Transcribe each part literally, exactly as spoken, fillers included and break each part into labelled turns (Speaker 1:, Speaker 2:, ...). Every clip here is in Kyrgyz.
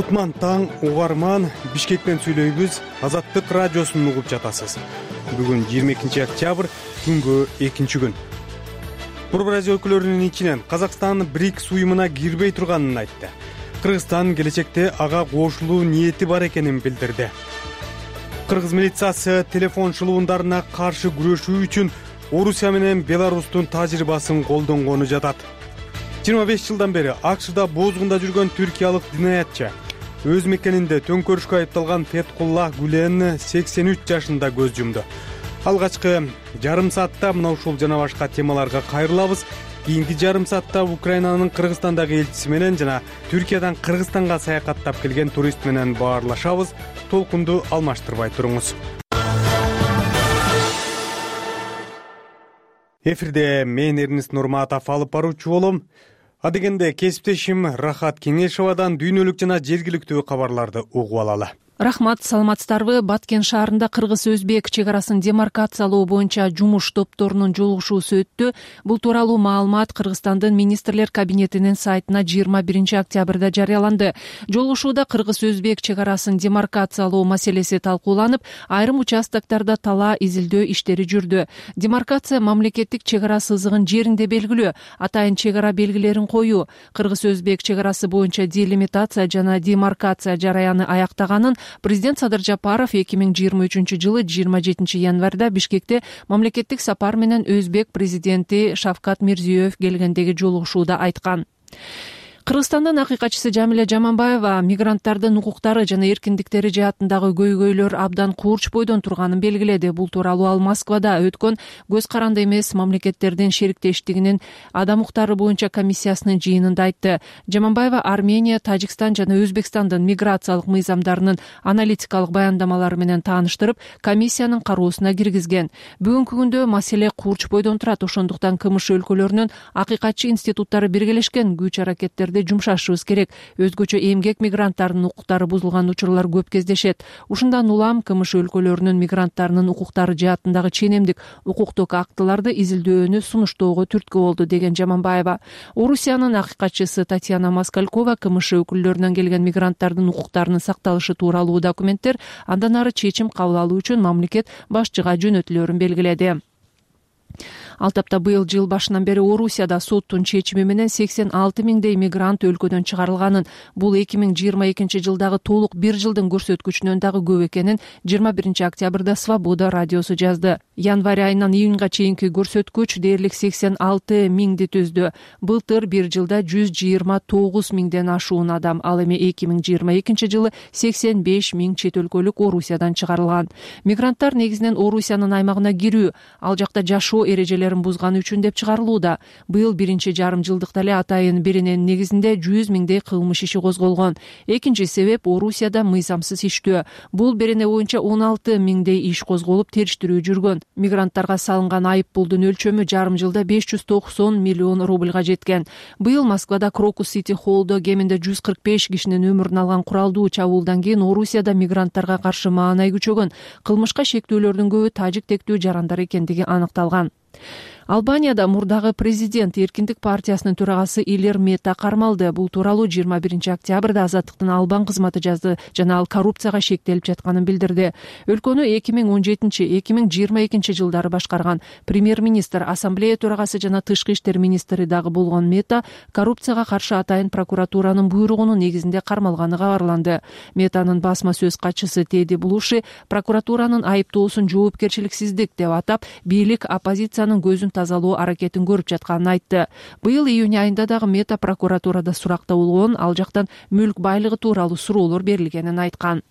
Speaker 1: Кутман таң, угарман, Бишкектен сүйлөйбүз, Азаттык радиосун угуп жатасыз. Бүгүн жыйырма экинчи октябрь, күнгө экинчи күн. Курб радио өкүлөрүнүн ичинен Казакстан БРИКС уюмуна кирбей турганын айтты. Кыргызстан келечекте ага кошулуу ниети бар экенин билдирди. Кыргыз милициясы телефон шылуундарына каршы күрөшүү үчүн Орусия менен Беларустун тажрыйбасын колдонгону жатат. жыйырма беш жылдан бери АКШда бозгунда жүргөн түркиялык динаятчы өз мекенинде төңкөрүшкө айыпталган Феткулла Гүлен сексен үч жашында көз жумду. Алгачкы жарым саатта мына ушул жана башка темаларга кайрылабыз. Кийинки жарым саатта Украинанын Кыргызстандагы элчиси менен жана Түркиядан Кыргызстанга саякаттап келген турист менен баарлашабыз. Толкунду алмаштырбай туруңуз. Эфирде мен Эрнест Нурматов алып баруучу болом. Адегенде кесиптешим Рахат Кеңешовадан дүйнөлүк жана жергиликтүү кабарларды угуп алалы.
Speaker 2: Рахмат, саламатсыздарбы? Баткен шаарында Кыргыз-Өзбек чек арасын демаркациялоо боюнча жумуш топторунун жолугушуусу өттү. Бул тууралуу маалымат Кыргызстандын министрлер кабинетинин сайтына жыйырма биринчи октябрда жарыяланды. Жолугушууда Кыргыз-Өзбек чек арасын демаркациялоо маселеси талкууланып, айрым участоктарда талаа изилдөө иштери жүрдү. Демаркация мамлекеттик чек ара сызыгын жеринде белгилөө, атайын чек ара белгилерин коюу, Кыргыз-Өзбек чек арасы боюнча делимитация жана демаркация жараяны аяктаганын Президент Садыр Жапаров эки миң жыйырма үчүнчү жылы жыйырма жетинчи январда Бишкекте мамлекеттик сапар менен Өзбек президенти Шавкат Мирзиёев келгендеги жолугушууда айткан. Кыргызстандын акыйкатчысы Жамиля Жаманбаева мигранттардын укуктары жана эркиндиктери жаатындагы көйгөйлөр абдан курч бойдон турганын белгиледи. Бул тууралуу ал Москвада өткөн көз каранды эмес мамлекеттердин шериктештигинин адам укуктары боюнча комиссиясынын жыйынында айтты. Жаманбаева Армения, Тажикстан жана Өзбекстандын миграциялык мыйзамдарынын аналитикалык баяндамалары менен тааныштырып, комиссиянын кароосуна киргизген. Бүгүнкү күндө маселе курч бойдон турат. Ошондуктан КМШ өлкөлөрүнүн акыйкатчы институттары биргелешкен күч аракеттерди жумшашыбыз керек. Өзгөчө эмгек мигранттарынын укуктары бузулган учурлар көп кездешет. Ушундан улам КМШ өлкөлөрүнүн мигранттарынын укуктары жаатындагы ченемдик укуктук актыларды изилдөөнү сунуштоого түрткү болду, деген Жаманбаева. Орусиянын акыйкатчысы Татьяна Москалькова КМШ өкүлдөрүнөн келген мигранттардын укуктарынын сакталышы тууралуу документтер андан ары чечим кабыл алуу үчүн мамлекет башчыга жөнөтүлөрүн белгиледи. Ал тапта быйыл жыл башынан бери Орусияда соттун чечими менен сексен алты миңдей мигрант өлкөдөн чыгарылганын, бул эки миң жыйырма экинчи жылдагы толук бир жылдын көрсөткүчүнөн дагы көп экенин жыйырма биринчи октябрда Свобода радиосу жазды. Январь айынан июнга чейинки көрсөткүч дээрлик сексен алты миңди түздү. Былтыр бир жылда жүз жыйырма тогуз миңден ашуун адам, ал эми эки миң жыйырма экинчи жылы сексен беш миң чет өлкөлүк Орусиядан чыгарылган. Мигранттар негизинен Орусиянын аймагына кирүү, ал жакта жашоо эрежелерин бузганы үчүн деп чыгарылууда. Быйыл биринчи жарым жылдыкта эле атайын биринин негизинде жүз миңдей кылмыш иши козголгон. Экинчи себеп Орусияда мыйзамсыз иштөө. Бул берене боюнча он алты миңдей иш козголуп териштирүү жүргөн. Мигранттарга салынган айып пулдун өлчөмү жарым жылда беш жүз токсон миллион рубльга жеткен. Быйыл Москвада Крокус Сити Холлдо кеминде жүз кырк беш кишинин өмүрүн алган куралдуу чабуулдан кийин Орусияда мигранттарга каршы маанай күчөгөн. Кылмышка шектүүлөрдүн көбү тажик тектүү жарандар экендиги аныкталган. Албанияда мурдагы президент Эркиндик партиясынын төрагасы Илер Мета кармалды. Бул тууралуу жыйырма биринчи октябрда Азаттыктын Албан кызматы жазды жана ал коррупцияга шектелип жатканын билдирди. Өлкөнү эки миң он жетинчи эки миң жыйырма экинчи жылдары башкарган премьер-министр, ассамблея төрагасы жана тышкы иштер министри дагы болгон Мета коррупцияга каршы атайын прокуратуранын буйругунун негизинде кармалганы кабарланды. Метанын басма сөз катчысы Теди Блуши прокуратуранын айыптоосун жоопкерчиликсиздик деп атап, бийлик оппозициянын көзүн тазалоо аракетин көрүп жатканын айтты. Быйыл июнь айында дагы Мета прокуратурада суракта болгон, ал жактан мүлк байлыгы тууралуу суроолор берилгенин айткан.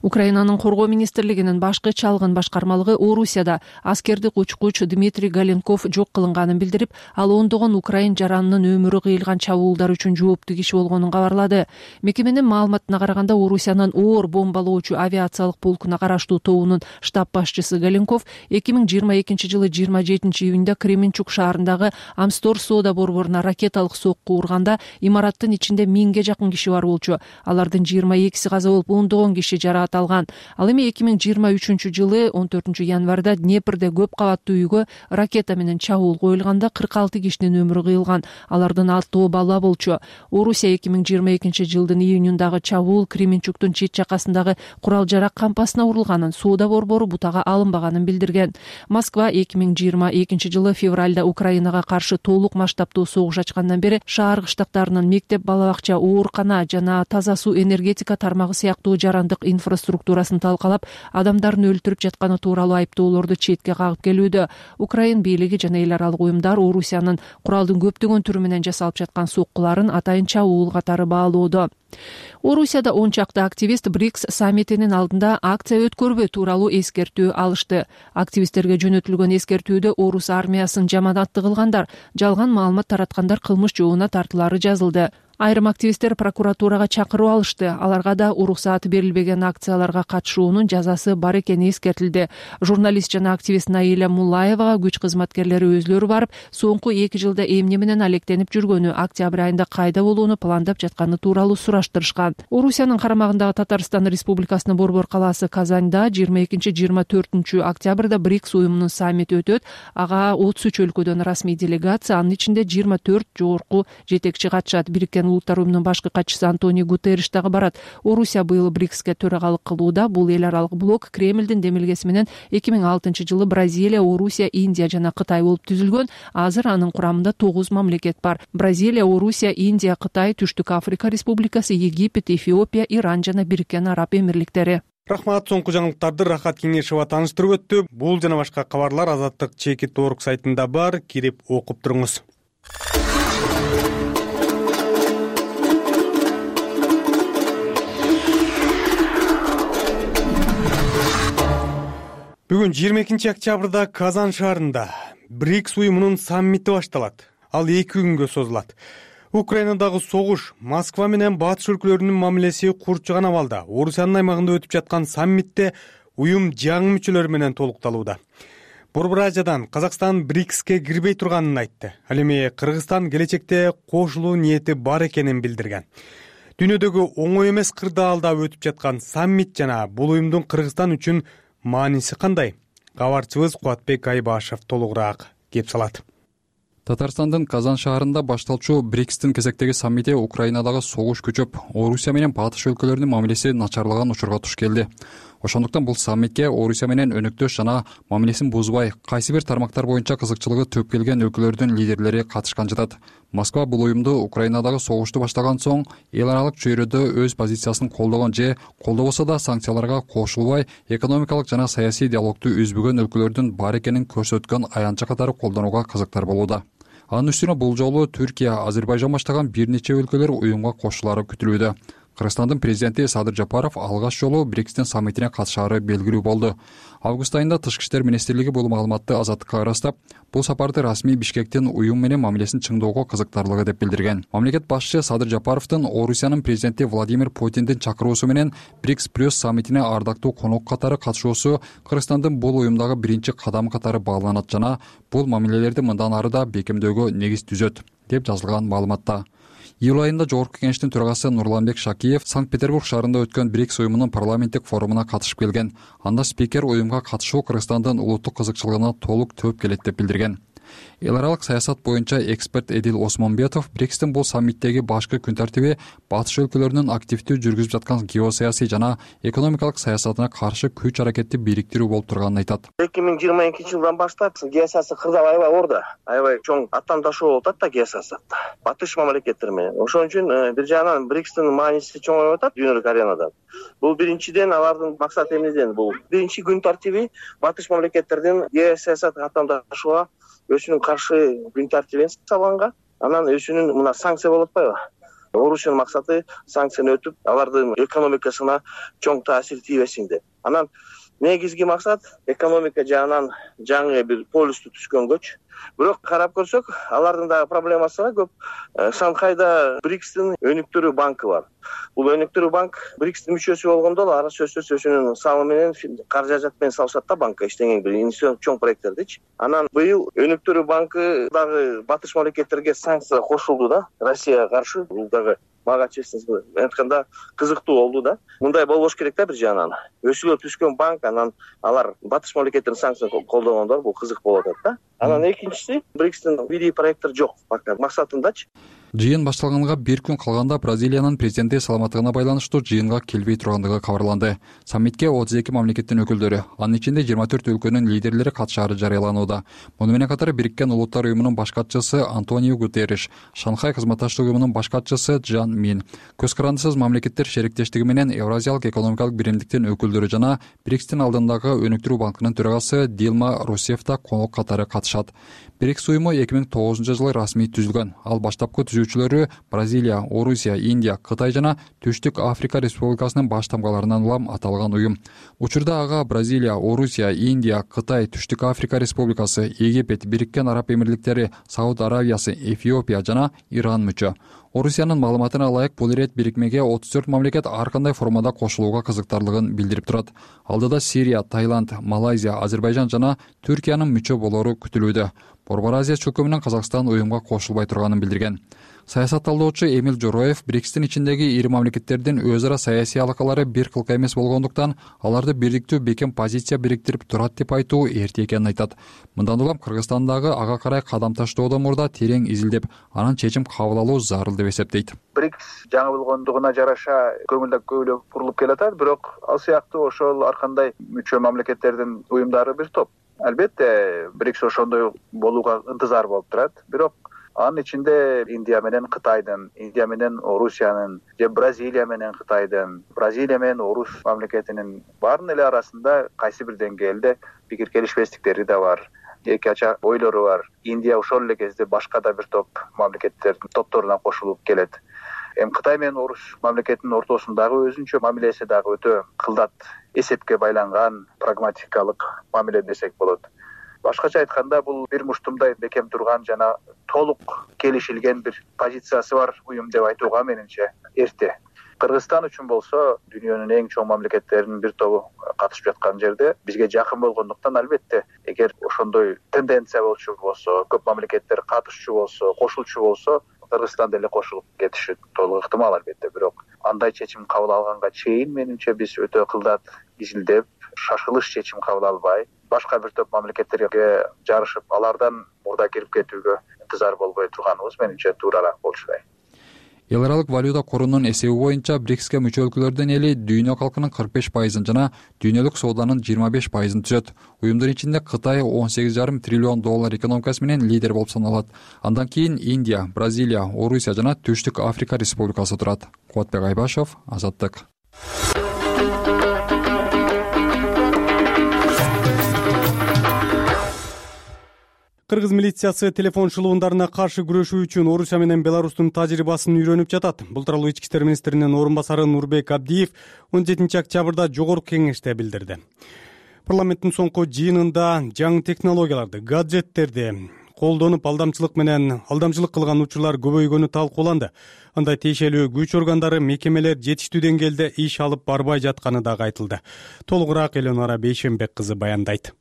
Speaker 2: Украинанын коргоо министрлигинин башкы чалгын башкармалыгы Орусияда аскердик учкуч Дмитрий Галенков жок кылынганын билдирип, ал ондогон украин жаранынын өмүрү кыйылган чабуулдар үчүн жооптуу киши болгонун кабарлады. Мекеменин маалыматына караганда, Орусиянын оор бомбалоочу авиациялык полкуна караштуу тобунун штаб башчысы Галенков эки миң жыйырма экинчи жылы жыйырма жетинчи июнда Кременчук шаарындагы Амстор соода борборуна ракеталык сокку урганда имараттын ичинде миңге жакын киши бар болчу. Алардын жыйырма экиси каза болуп, ондогон киши иши жарааталган. Ал эми эки миң жыйырма үчүнчү жылы он төртүнчү январда Днепрде көп кабаттуу үйгө ракета менен чабуул коюлганда кырк алты кишинин өмүрү кыйылган. Алардын алтоо бала болчу. Орусия эки миң жыйырма экинчи жылдын июнундагы чабуул Кременчуктун чет жакасындагы курал жарак кампасына урулганын, соода борбору бутага алынбаганын билдирген. Москва эки миң жыйырма экинчи жылы февралда Украинага каршы толук масштабтуу согуш ачкандан бери шаар кыштактарынын мектеп, балабакча, оорукана жана таза суу, энергетика тармагы сыяктуу жарандык инфраструктурасын талкалап, адамдарын өлтүрүп жатканы тууралуу айыптоолорду четке кагып келүүдө. Украин бийлиги жана эл аралык уюмдар Орусиянын куралдын көптөгөн түрү менен жасалып жаткан соккуларын атайын чабуул катары баалоодо. Орусияда он чакты активист БРИКС саммитинин алдында акция өткөрбөө тууралуу эскертүү алышты. Активисттерге жөнөтүлгөн эскертүүдө орус армиясын жаманатты кылгандар, жалган маалымат тараткандар кылмыш жообуна тартылары жазылды. Айрым активисттер прокуратурага чакыруу алышты. Аларга да уруксааты берилбеген акцияларга катышуунун жазасы бар экени эскертилди. Журналист жана активист Наиля Муллаевага күч кызматкерлери өзлөрү барып, соңку эки жылда эмне менен алектенип жүргөнү, октябрь айында кайда болууну пландап жатканы тууралуу сураштырышкан. Орусиянын карамагындагы Татарстан Республикасынын борбор калаасы Казанда жыйырма экинчи жыйырма төртүнчү октябрда БРИКС уюмунун саммити өтөт. Ага отуз үч өлкөдөн расмий делегация, анын ичинде жыйырма төрт жогорку жетекчи катышат. Бириккен Улуттар уюмунун башкы катчысы Антонио Гутерриш дагы барат. Орусия быйыл БРИКСке төрагалык кылууда. Бул эл аралык блок Кремлдин демилгеси менен эки миң алтынчы жылы Бразилия, Орусия, Индия жана Кытай болуп түзүлгөн. Азыр анын курамында тогуз мамлекет бар. Бразилия, Орусия, Индия, Кытай, Түштүк Африка Республикасы, Египет, Эфиопия, Иран жана Бириккен Араб Эмирликтери.
Speaker 1: Рахмат, соңку жаңылыктарды Рахат Кеңешова тааныштырып өттү. Бул жана башка кабарлар Азаттык чекит орг сайтында бар, кирип окуп туруңуз. Бүгүн жыйырма экинчи октябрда Казан шаарында БРИКС уюмунун саммити башталат. Ал эки күнгө созулат. Украинадагы согуш, Москва менен батыш өлкөлөрүнүн мамилеси курчуган абалда Орусиянын аймагында өтүп жаткан саммитте уюм жаңы мүчөлөр менен толукталууда. Борбор Азиядан Казакстан БРИКСке кирбей турганын айтты. Ал эми Кыргызстан келечекте кошулуу ниети бар экенин билдирген. Дүйнөдөгү оңой эмес кырдаалда өтүп жаткан саммит жана бул уюмдун Кыргызстан үчүн мааниси кандай? Кабарчыбыз Кубатбек Айбашев толугураак кеп салат.
Speaker 3: Татарстандын Казан шаарында башталчу БРИКСтин кезектеги саммити Украинадагы согуш күчөп, Орусия менен батыш өлкөлөрүнүн мамилеси начарлаган учурга туш келди. Ошондуктан бул саммитке Орусия менен өнөктөш жана мамилесин бузбай, кайсы бир тармактар боюнча кызыкчылыгы төп келген өлкөлөрдүн лидерлери катышкан жатат. Москва бул уюмду Украинадагы согушту баштаган соң эл аралык чөйрөдө өз позициясын колдогон же колдобосо да санкцияларга кошулбай, экономикалык жана саясий диалогду үзбөгөн өлкөлөрдүн бар экенин көрсөткөн аянтча катары колдонууга кызыктар болууда. Анын үстүнө бул жолу Түркия, Азербайжан баштаган бир нече өлкөлөр уюмга кошулары күтүлүүдө. Кыргызстандын президенти Садыр Жапаров алгач жолу БРИКСтин саммитине катышаары белгилүү болду. Август айында Тышкы иштер министрлиги бул маалыматты Азаттыкка ырастап, бул сапарды расмий Бишкектин уюм менен мамилесин чыңдоого кызыктарлыгы деп билдирген. Мамлекет башчысы Садыр Жапаровдун Орусиянын президенти Владимир Путиндин чакыруусу менен БРИКС плюс саммитине ардактуу конок катары катышуусу Кыргызстандын бул уюмдагы биринчи кадам катары бааланат жана бул мамилелерди мындан ары да бекемдөөгө негиз түзөт, деп жазылган маалыматта. Июль айында Жогорку Кеңештин төрагасы Нурланбек Шакиев Санкт-Петербург шаарында өткөн БРИКС уюмунун парламенттик форумуна катышып келген. Анда спикер уюмга катышуу Кыргызстандын улуттук кызыкчылыгына толук төп келет деп билдирген. Эл аралык саясат боюнча эксперт Эдил Осмонбетов БРИКСтин бул саммиттеги башкы күн тартиби батыш өлкөлөрүнүн активдүү жүргүзүп жаткан геосаясий жана экономикалык саясатына каршы күч аракетти бириктирүү болуп турганын айтат.
Speaker 4: эки миң жыйырма экинчи жылдан баштап геосаясий кырдаал аябай орду, аябай чоң аттан ташуу болуп атат да геосаясатта. Батыш мамлекеттер менен. Ошон үчүн бир жагынан БРИКСтин мааниси чоңоюп атат дүйнөлүк аренада. Бул биринчиден алардын максаты эмнеден? Бул биринчи күн тартиби батыш мамлекеттердин геосаясат аттан ташууга өзүнүн каршы күн тартибин салганга, анан өзүнүн мына санкция болуп атпайбы? Орусиянын максаты санкцияны өтүп, алардын экономикасына чоң таасир тийбесин деп. Анан негизги максат экономика жагынан жаңы бир полюсту түзгөнгөчү, Бирок карап көрсөк, алардын дагы проблемасы бар көп. Шанхайда Брикстин өнүктүрүү банкы бар. Бул өнүктүрүү банк Брикстин мүчөсү болгондо эле ара сөзсүз өзүнүн салымы менен каражат менен салышат да банкка иштеген бир инвестицион чоң проекттердичи. Анан быйыл өнүктүрүү банкы дагы батыш мамлекеттерге санкция кошулду да, Россияга каршы. Бул дагы мага честно айтканда кызыктуу болду да. Мындай болбош керек да бир жагынан. Өсүлүп түшкөн банк, анан алар батыш мамлекеттердин санкциясын колдогондор бул кызык болуп атат да. Анан экинчиси, Брикстин видео проекттер жок максатындачы.
Speaker 3: Жыйын башталганга бир күн калганда Бразилиянын президенти саламаттыгына байланыштуу жыйынга келбей тургандыгы кабарланды. Саммитке отуз эки мамлекеттин өкүлдөрү, анын ичинде жыйырма төрт өлкөнүн лидерлери катышаары жарыяланууда. Муну менен катар Бириккен Улуттар уюмунун баш катчысы Антонио Гутерриш, Шанхай кызматташтык уюмунун баш катчысы Джан Мин, көз карандысыз мамлекеттер шериктештиги менен Евразиялык экономикалык биримдиктин өкүлдөрү жана Брикстин алдындагы өнүктүрүү банкынын төрагасы Дилма Русеф да конок катары катышат. Брикс уюму эки миң тогузунчу жылы расмий түзүлгөн. Ал баштапкы түзүүчүлөрү Бразилия, Орусия, Индия, Кытай жана Түштүк Африка Республикасынын баш тамгаларынан улам аталган уюм. Учурда ага Бразилия, Орусия, Индия, Кытай, Түштүк Африка Республикасы, Египет, Бириккен Араб Эмирликтери, Сауд Аравиясы, Эфиопия жана Иран мүчө. Орусиянын маалыматына ылайык, бул ирет бирикмеге отуз төрт мамлекет ар кандай формада кошулууга кызыктарлыгын билдирип турат. Алдыда Сирия, Таиланд, Малайзия, Азербайжан жана Түркиянын мүчө болору күтүлүүдө. Борбор Азия чөлкөмү менен Казакстан уюмга кошулбай турганын билдирген. Саясат талдоочу Эмил Жороев Брикстин ичиндеги ири мамлекеттердин өз ара саясий алакалары бир кылка эмес болгондуктан аларды бирдиктүү бекем позиция бириктирип турат деп айтуу эрте экенин айтат. Мындан улам Кыргызстандагы ага карай кадам таштоодон мурда терең изилдеп, анан чечим кабыл алуу зарыл деп эсептейт.
Speaker 5: Брикс жаңы болгондугуна жараша көңүл көбүрөөк бурулуп келатат, бирок ал сыяктуу ошол ар кандай мүчө мамлекеттердин уюмдары бир топ. Албетте, Брикс ошондой болууга ынтызар болуп турат, бирок анын ичинде Индия менен Кытайдын, Индия менен Орусиянын, же Бразилия менен Кытайдын, Бразилия менен Орус мамлекетинин баарынын эле арасында кайсы бир деңгээлде пикир келишпестиктери да бар, эки ача ойлору бар. Индия ошол эле кезде башка да бир топ мамлекеттердин топторуна кошулуп келет. Эми Кытай менен Орус мамлекетинин ортосундагы өзүнчө мамилеси дагы өтө кылдат, эсепке байланган, прагматикалык мамиле десек болот. Башкача айтканда, бул бир муштумдай бекем турган жана толук келишилген бир позициясы бар уюм деп айтууга менимче эрте. Кыргызстан үчүн болсо, дүйнөнүн эң чоң мамлекеттеринин бир тобу катышып жаткан жерде бизге жакын болгондуктан, албетте, эгер ошондой тенденция болчу болсо, көп мамлекеттер катышчу болсо, кошулчу болсо, Кыргызстан деле кошулуп кетиши толук ыктымал, албетте. Бирок андай чечим кабыл алганга чейин менимче биз өтө кылдат изилдеп, шашылыш чечим кабыл албай, башка бир топ мамлекеттерге жарышып, алардан мурда кирип кетүүгө интизар болбой турганыбыз менимче туурараак болчудай.
Speaker 3: Эл аралык валюта корунун эсеби боюнча Брикске мүчө өлкөлөрдүн эли дүйнө калкынын кырк беш пайызын жана дүйнөлүк сооданын жыйырма беш пайызын түзөт. Уюмдун ичинде Кытай он сегиз жарым триллион доллар экономикасы менен лидер болуп саналат. Андан кийин Индия, Бразилия, Орусия жана Түштүк Африка Республикасы турат. Кубатбек Айбашев, Азаттык.
Speaker 1: Кыргыз милициясы телефон шылуундарына каршы күрөшүү үчүн Орусия менен Беларустун тажрыйбасын үйрөнүп жатат. Бул тууралуу Ички иштер министринин орун басары Нурбек Абдиев он жетинчи октябрда жогорку кеңеште билдирди. Парламенттин соңку жыйынында жаңы технологияларды, гаджеттерди колдонуп алдамчылык менен алдамчылык кылган учурлар көбөйгөнү талкууланды. Андай тиешелүү күч органдары, мекемелер жетиштүү деңгээлде иш алып барбай жатканы дагы айтылды. Толугураак Эленора Бейшенбек кызы баяндайт.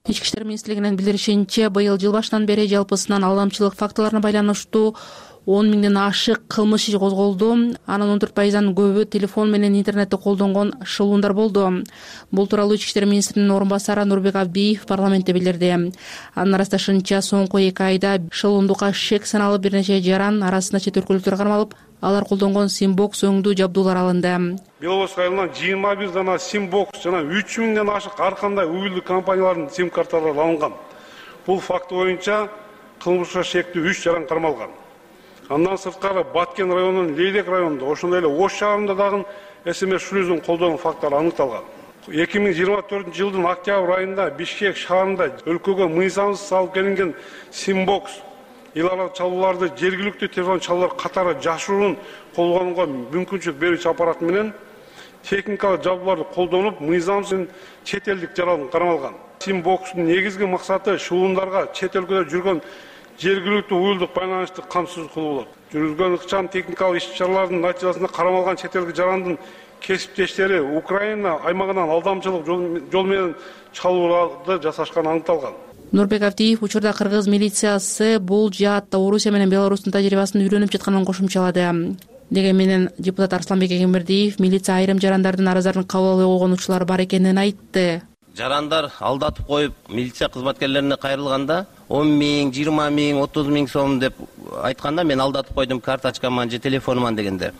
Speaker 2: Ички иштер министрлигинин билдиришинче, быйыл жыл башынан бери жалпысынан алдамчылык фактыларына байланыштуу он миңден ашык кылмыш иши козголду. Анын он төрт пайыздан көбү телефон менен интернетти колдонгон шылуундар болду. Бул тууралуу Ички иштер министринин орун басары Нурбек Абдиев парламентте билдирди. Анын ырасташынча, соңку эки айда шылуундукка шек саналып бир нече жаран арасында чет өлкөлүктөр кармалып, алар колдонгон симбокс өңдүү жабдуулар алынды.
Speaker 6: Беловоз айылынан жыйырма бир дана симбокс жана үч миңден ашык ар кандай уюлдук компаниялардын сим карталары алынган. Бул факты боюнча кылмышка шектүү үч жаран кармалган. Андан сырткары Баткен районунун Лейлек районунда, ошондой эле Ош шаарында дагы эс эм эс шлюзун колдонуу фактылары аныкталган. эки миң жыйырма төртүнчү жылдын октябрь айында Бишкек шаарында өлкөгө мыйзамсыз салып келинген симбокс эл аралык чалууларды жергиликтүү телефон чалуулар катары жашыруун колдонууга мүмкүнчүлүк берүүчү аппарат менен техникалык жабдууларды колдонуп, мыйзамсыз чет элдик жаран кармалган. Симбокстун негизги максаты шуулундарга чет өлкөдө жүргөн жергиликтүү уюлдук байланышты камсыз кылуу болот. Жүргүзгөн ыкчам техникалык иш-чаралардын натыйжасында карамалган чет элдик жарандын кесиптештери Украина аймагынан алдамчылык жол менен чалууларды жасашканы аныкталган.
Speaker 2: Нурбек Авдиев учурда кыргыз милициясы бул жаатта Орусия менен Беларустун тажрыйбасын үйрөнүп жатканын кошумчалады. Деген менен депутат Арсланбек Эгембердиев милиция айрым жарандардын арыздарын кабыл албай койгон учурлар бар экенин айтты.
Speaker 7: Жарандар алдатып коюп милиция кызматкерлерине кайрылганда он миң, жыйырма миң, отуз миң сом деп айтканда мен алдатып койдум, карточкаман же телефонуман дегенде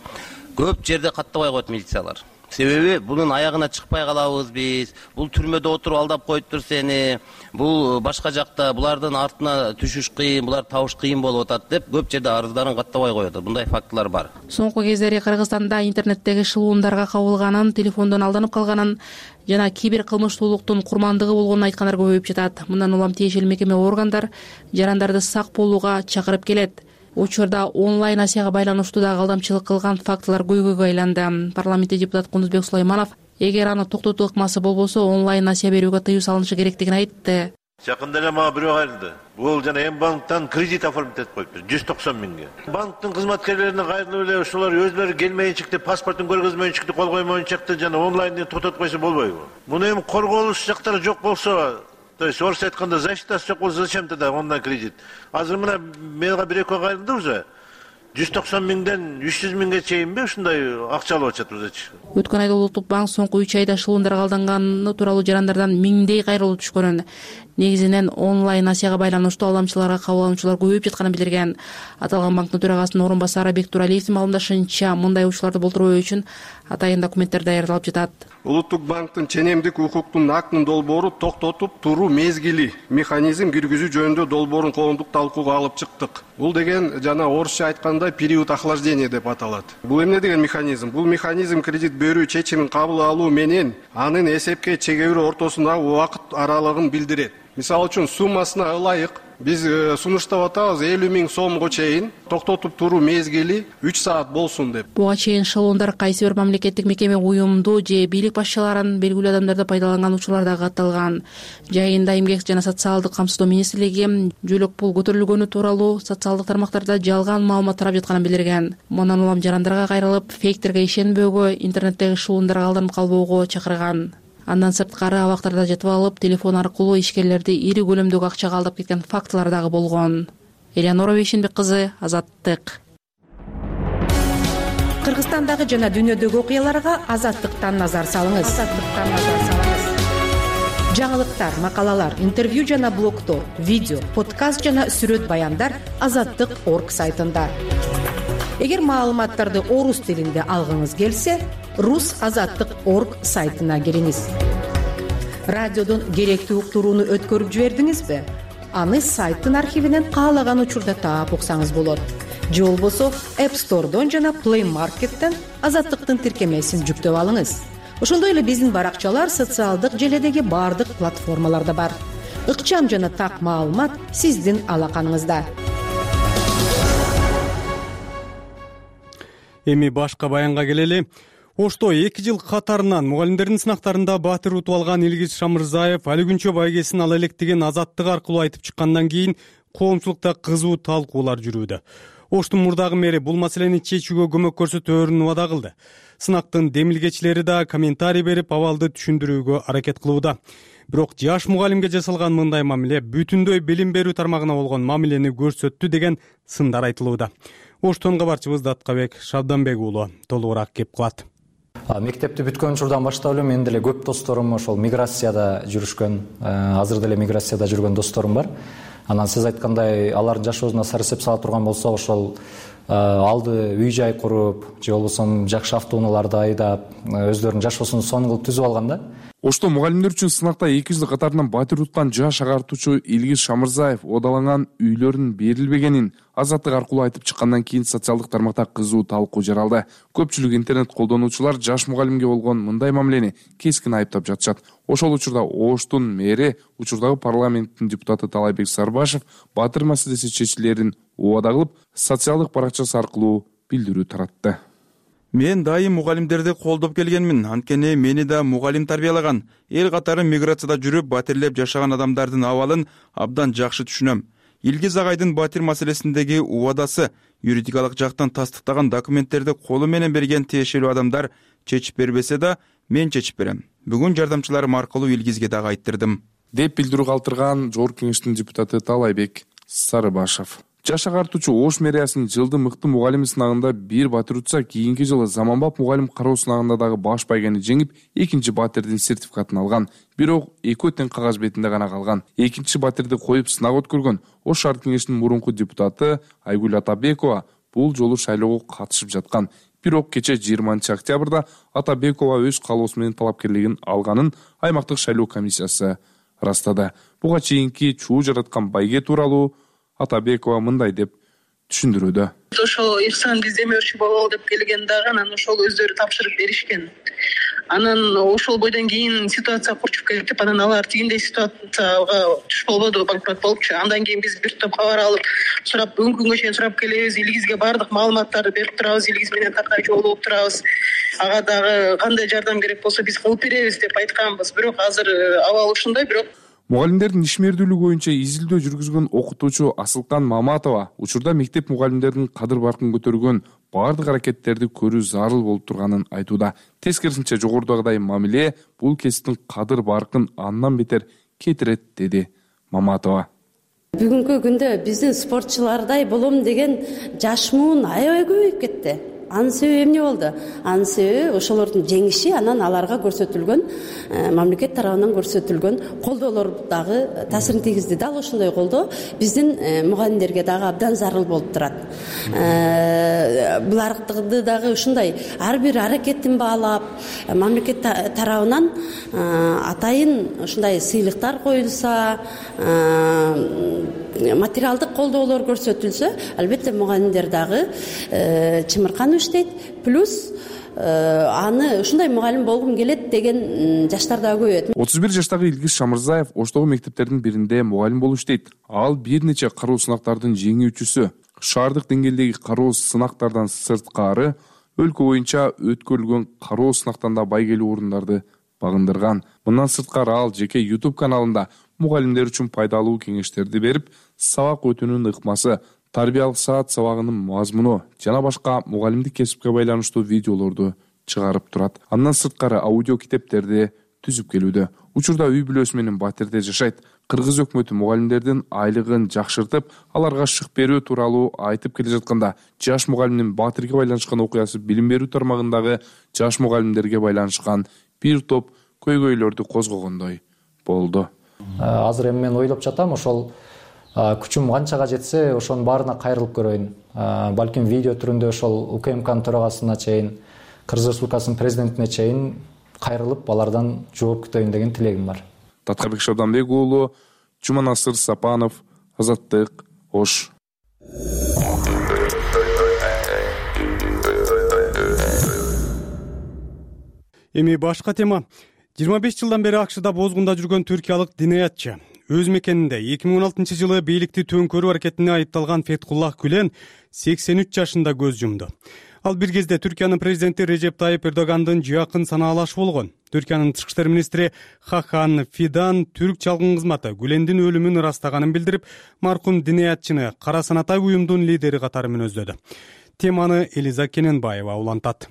Speaker 7: көп жерде каттабай коет милициялар. Себеби бунун аягына чыкпай калабыз биз. Бул түрмөдө отуруп алдап коюптур сени. Бул башка жакта булардын артына түшүш кыйын, булар табыш кыйын болуп атат деп көп жерде арыздарын каттабай коет. Мындай фактылар бар.
Speaker 2: Соңку кездери Кыргызстанда интернеттеги шылуундарга кабылганын, телефондон алданып калганын жана кибер кылмыштуулуктун курмандыгы болгонун айткандар көбөйүп жатат. Мындан улам тиешелүү мекеме органдар жарандарды сак болууга чакырып келет. Учурда онлайн насияга байланыштуу дагы алдамчылык кылган фактылар көйгөйгө айланды. Парламентте депутат Кундузбек Сулайманов эгер аны токтотуу ыкмасы болбосо онлайн насия берүүгө тыюу салынышы керектигин айтты.
Speaker 8: Жакында эле мага бирөө кайрылды. Бул жана эм банктан кредит оформить этип коюптур жүз токсон миңге. Банктын кызматкерлерине кайрылып эле ошолор өзлөрү келмейинчикти, паспортун көргөзмөйүнчүктү, кол коймоюнчукты жана онлайндан тототуп койсо болбойбу? Муну эми корголуш жактары жок болсо, то есть орусча айтканда защитасы жок болсо зачем тогда онлайн кредит? Азыр мына мага бир экөө кайрылды уже. жүз токсон миңден үч жүз миңге чейинби ушундай акча алып атышат өзүчү.
Speaker 2: Өткөн айда Улуттук банк соңку үч айда шылуундарга алданганы тууралуу жарандардан миңдей кайрылуу түшкөнүн, негизинен онлайн насияга байланыштуу алдамчыларга кабыл алуучулар көбөйүп жатканын билдирген. Аталган банктын төрагасынын орун басары Бектуралиевдин маалымдашынча, мындай учурларды болтурбоо үчүн атайын документтер даярдалып жатат.
Speaker 9: Улуттук банктын ченемдик укуктун актын долбоору токтотуп туруу мезгили механизм киргизүү жөнүндө долбоорун коомдук талкууга алып чыктык. Бул деген жана орусча айтканда период охлаждения деп аталат. Бул эмне деген механизм? Бул механизм кредит берүү чечимин кабыл алуу менен анын эсепке чегерүү ортосундагы убакыт аралыгын билдирет. Мисалы үчүн суммасына ылайык биз сунуштап атабыз элүү миң сомго чейин токтотуп туруу мезгили үч саат болсун деп.
Speaker 2: Буга чейин шылуундар кайсы бир мамлекеттик мекеме, уюмду же бийлик башчыларын белгилүү адамдарды пайдаланган учурлар дагы катталган. Жайында Эмгек жана социалдык камсыздоо министрлиги жөлөк пул көтөрүлгөнү тууралуу социалдык тармактарда жалган маалымат тарап жатканын билдирген. Мындан улам жарандарга кайрылып, фейктерге ишенбөөгө, интернеттеги шылуундарга алданып калбоого чакырган. Андан сырткары абактарда жатып алып, телефон аркылуу ишкерлерди ири көлөмдөгү акчага алдап кеткен фактылар дагы болгон. Элеонора Бейшенбек кызы, Азаттык.
Speaker 10: Кыргызстандагы жана дүйнөдөгү окуяларга Азаттыктан назар салыңыз. Азаттыктан назар салыңыз. Жаңылыктар, макалалар, интервью жана блогдор, видео, подкаст жана сүрөт баяндар азаттык точка орг сайтында. Эгер маалыматтарды орус тилинде алгыңыз келсе, рус азаттык точка орг сайтына кириңиз. Радиодон керектүү уктурууну өткөрүп жибердиңизби? Аны сайттын архивинен каалаган учурда таап уксаңыз болот. Же болбосо App Store'дон жана Play Market'тен Азаттыктын тиркемесин жүктөп алыңыз. Ошондой эле биздин баракчалар социалдык желедеги бардык платформаларда бар. Ыкчам жана так маалымат сиздин алаканыңызда.
Speaker 1: Эми башка баянга келели. Ошто эки жыл катарынан мугалимдердин сынактарында баатыр утуп алган Илгиз Шамырзаев али күнчө байгесин ала элек деген Азаттык аркылуу айтып чыккандан кийин коомчулукта кызуу талкуулар жүрүүдө. Оштун мурдагы мэри бул маселени чечүүгө көмөк көрсөтөөрүн убада кылды. Сынактын демилгечилери да комментарий берип, абалды түшүндүрүүгө аракет кылууда. Бирок жаш мугалимге жасалган мындай мамиле бүтүндөй билим берүү тармагына болгон мамилени көрсөттү деген сындар айтылууда. Оштон кабарчыбыз Даткабек Шабданбек уулу толугураак кеп кылат.
Speaker 11: Мектепти бүткөн учурдан баштап эле менин деле көп досторум ошол миграцияда жүрүшкөн, азыр деле миграцияда жүргөн досторум бар. Анан сиз айткандай алардын жашоосуна сар эсеп сала турган болсо, ошол алды үй жай куруп, же болбосо жакшы автоунааларды айдап, өздөрүнүн жашоосун сонун кылып түзүп алган да.
Speaker 12: Ошто мугалимдер үчүн сынакта эки жыл катарынан баатыр уткан жаш агартуучу Илгиз Шамырзаев оодаланган үйлөрүнүн берилбегенин Азаттык аркылуу айтып чыккандан кийин социалдык тармакта кызуу талкуу жаралды. Көпчүлүк интернет колдонуучулар жаш мугалимге болгон мындай мамилени кескин айыптап жатышат. Ошол учурда Оштун мэри, учурдагы парламенттин депутаты Талайбек Сарбашев баатыр маселеси чечилерин убада кылып, социалдык баракчасы аркылуу билдирүү таратты.
Speaker 13: Мен дайым мугалимдерди колдоп келгенмин, анткени мени да мугалим тарбиялаган. Эл катары миграцияда жүрүп, батирлеп жашаган адамдардын абалын абдан жакшы түшүнөм. Илгиз Агайдын батир маселесиндеги убадасы, юридикалык жактан тастыктаган документтерди колу менен берген тиешелүү адамдар чечип бербесе да, мен чечип берем. Бүгүн жардамчыларым аркылуу Илгизге дагы айттырдым,
Speaker 12: деп билдирүү калтырган Жогорку Кеңештин депутаты Талайбек Сарыбашев. Жаш агартуучу Ош мэриясынын жылдын мыкты мугалими сынагында бир батир утса, кийинки жылы заманбап мугалим кароо сынагында дагы баш байгени жеңип, экинчи батирдин сертификатын алган. Бирок экөө тең кагаз бетинде гана калган. Экинчи батирди коюп сынак өткөргөн Ош шаар кеңешинин мурунку депутаты Айгүл Атабекова бул жолу шайлоого катышып жаткан. Бирок кече жыйырманчы октябрда Атабекова өз каалоосу менен талапкерлигин алганын аймактык шайлоо комиссиясы ырастады. Буга чейинки чуу жараткан байге тууралуу Атабекова мындай деп түшүндүрүүдө.
Speaker 14: Ошол Ихсан издемөөрчү болобу деп келген дагы, анан ошол өздөрү тапшырып беришкен. Анан ошол бойдон кийин ситуация курчуп кетип, анан алар тигиндей ситуацияга туш болбоду, банкрот болупчу. Андан кийин биз бир топ кабар алып, сурап, бүгүнкү күнгө чейин сурап келебиз, Илгизге баардык маалыматтарды берип турабыз, Илгиз менен такай жолугуп турабыз. Ага дагы кандай жардам керек болсо биз кылып беребиз деп айтканбыз. Бирок азыр абал ушундай, бирок
Speaker 12: Мугалимдердин ишмердүүлүгү боюнча изилдөө жүргүзгөн окутуучу Асылкан Маматова учурда мектеп мугалимдеринин кадыр баркын көтөргөн баардык аракеттерди көрүү зарыл болуп турганын айтууда. Тескерисинче жогорудагыдай мамиле бул кесиптин кадыр баркын андан бетер кетирет, деди Маматова.
Speaker 15: Бүгүнкү күндө биздин спортчулардай болом деген жаш муун аябай көбөйүп кетти. Анын себеби эмне болду? Анын себеби ошолордун жеңиши, анан аларга көрсөтүлгөн мамлекет тарабынан көрсөтүлгөн колдоолор дагы таасирин тийгизди. Дал ошондой колдоо биздин мугалимдерге дагы абдан зарыл болуп турат. Буларды дагы ушундай ар бир аракетин баалап, мамлекет тарабынан атайын ушундай сыйлыктар коюлса, материалдык колдоолор көрсөтүлсө, албетте мугалимдер дагы чымырканып иштейт. Плюс аны ушундай мугалим болгум келет деген жаштар дагы көбөйөт.
Speaker 12: отуз бир жаштагы Илгиз Шамырзаев Оштогу мектептердин биринде мугалим болуп иштейт. Ал бир нече кароо сынактардын жеңүүчүсү. Шаардык деңгээлдеги кароо сынактардан сырткары өлкө боюнча өткөрүлгөн кароо сынактан да байгелүү орундарды багындырган. Мындан сырткары ал жеке YouTube каналында мугалимдер үчүн пайдалуу кеңештерди берип, сабак өтүүнүн ыкмасы, тарбиялык саат сабагынын мазмуну жана башка мугалимдик кесипке байланыштуу видеолорду чыгарып турат. Андан сырткары аудио китептерди түзүп келүүдө. Учурда үй бүлөсү менен батирде жашайт. Кыргыз өкмөтү мугалимдердин айлыгын жакшыртып, аларга шык берүү тууралуу айтып келе жатканда, жаш мугалимдин батирге байланышкан окуясы билим берүү тармагындагы жаш мугалимдерге байланышкан бир топ көйгөйлөрдү козгогондой болду.
Speaker 11: Азыр эми мен ойлоп жатам, ошол күчүм канчага жетсе, ошонун баарына кайрылып көрөйүн. Балким видео түрүндө ошол УКМКнын төрагасына чейин, Кыргыз Республикасынын президентине чейин кайрылып, алардан жооп күтөйүн деген тилегим бар.
Speaker 12: Таткарбек Шабданбек уулу, Жуманасыр Сапанов, Азаттык, Ош.
Speaker 1: Эми башка тема. жыйырма беш жылдан бери АКШда бозгунда жүргөн түркиялык динаятчы. Өз мекенинде эки миң он алтынчы жылы бийликти төңкөрүү аракетине айыпталган Фетхуллах Гүлен сексен үч жашында көз жумду. Ал бир кезде Түркиянын президенти Режеп Тайып Эрдогандын жакын санаалашы болгон. Түркиянын тышкы иштер министри Хакан Фидан түрк чалгын кызматы Гүлендин өлүмүн ырастаганын билдирип, маркум динаятчыны кара санатай уюмдун лидери катары мүнөздөдү. Теманы Элиза Кененбаева улантат.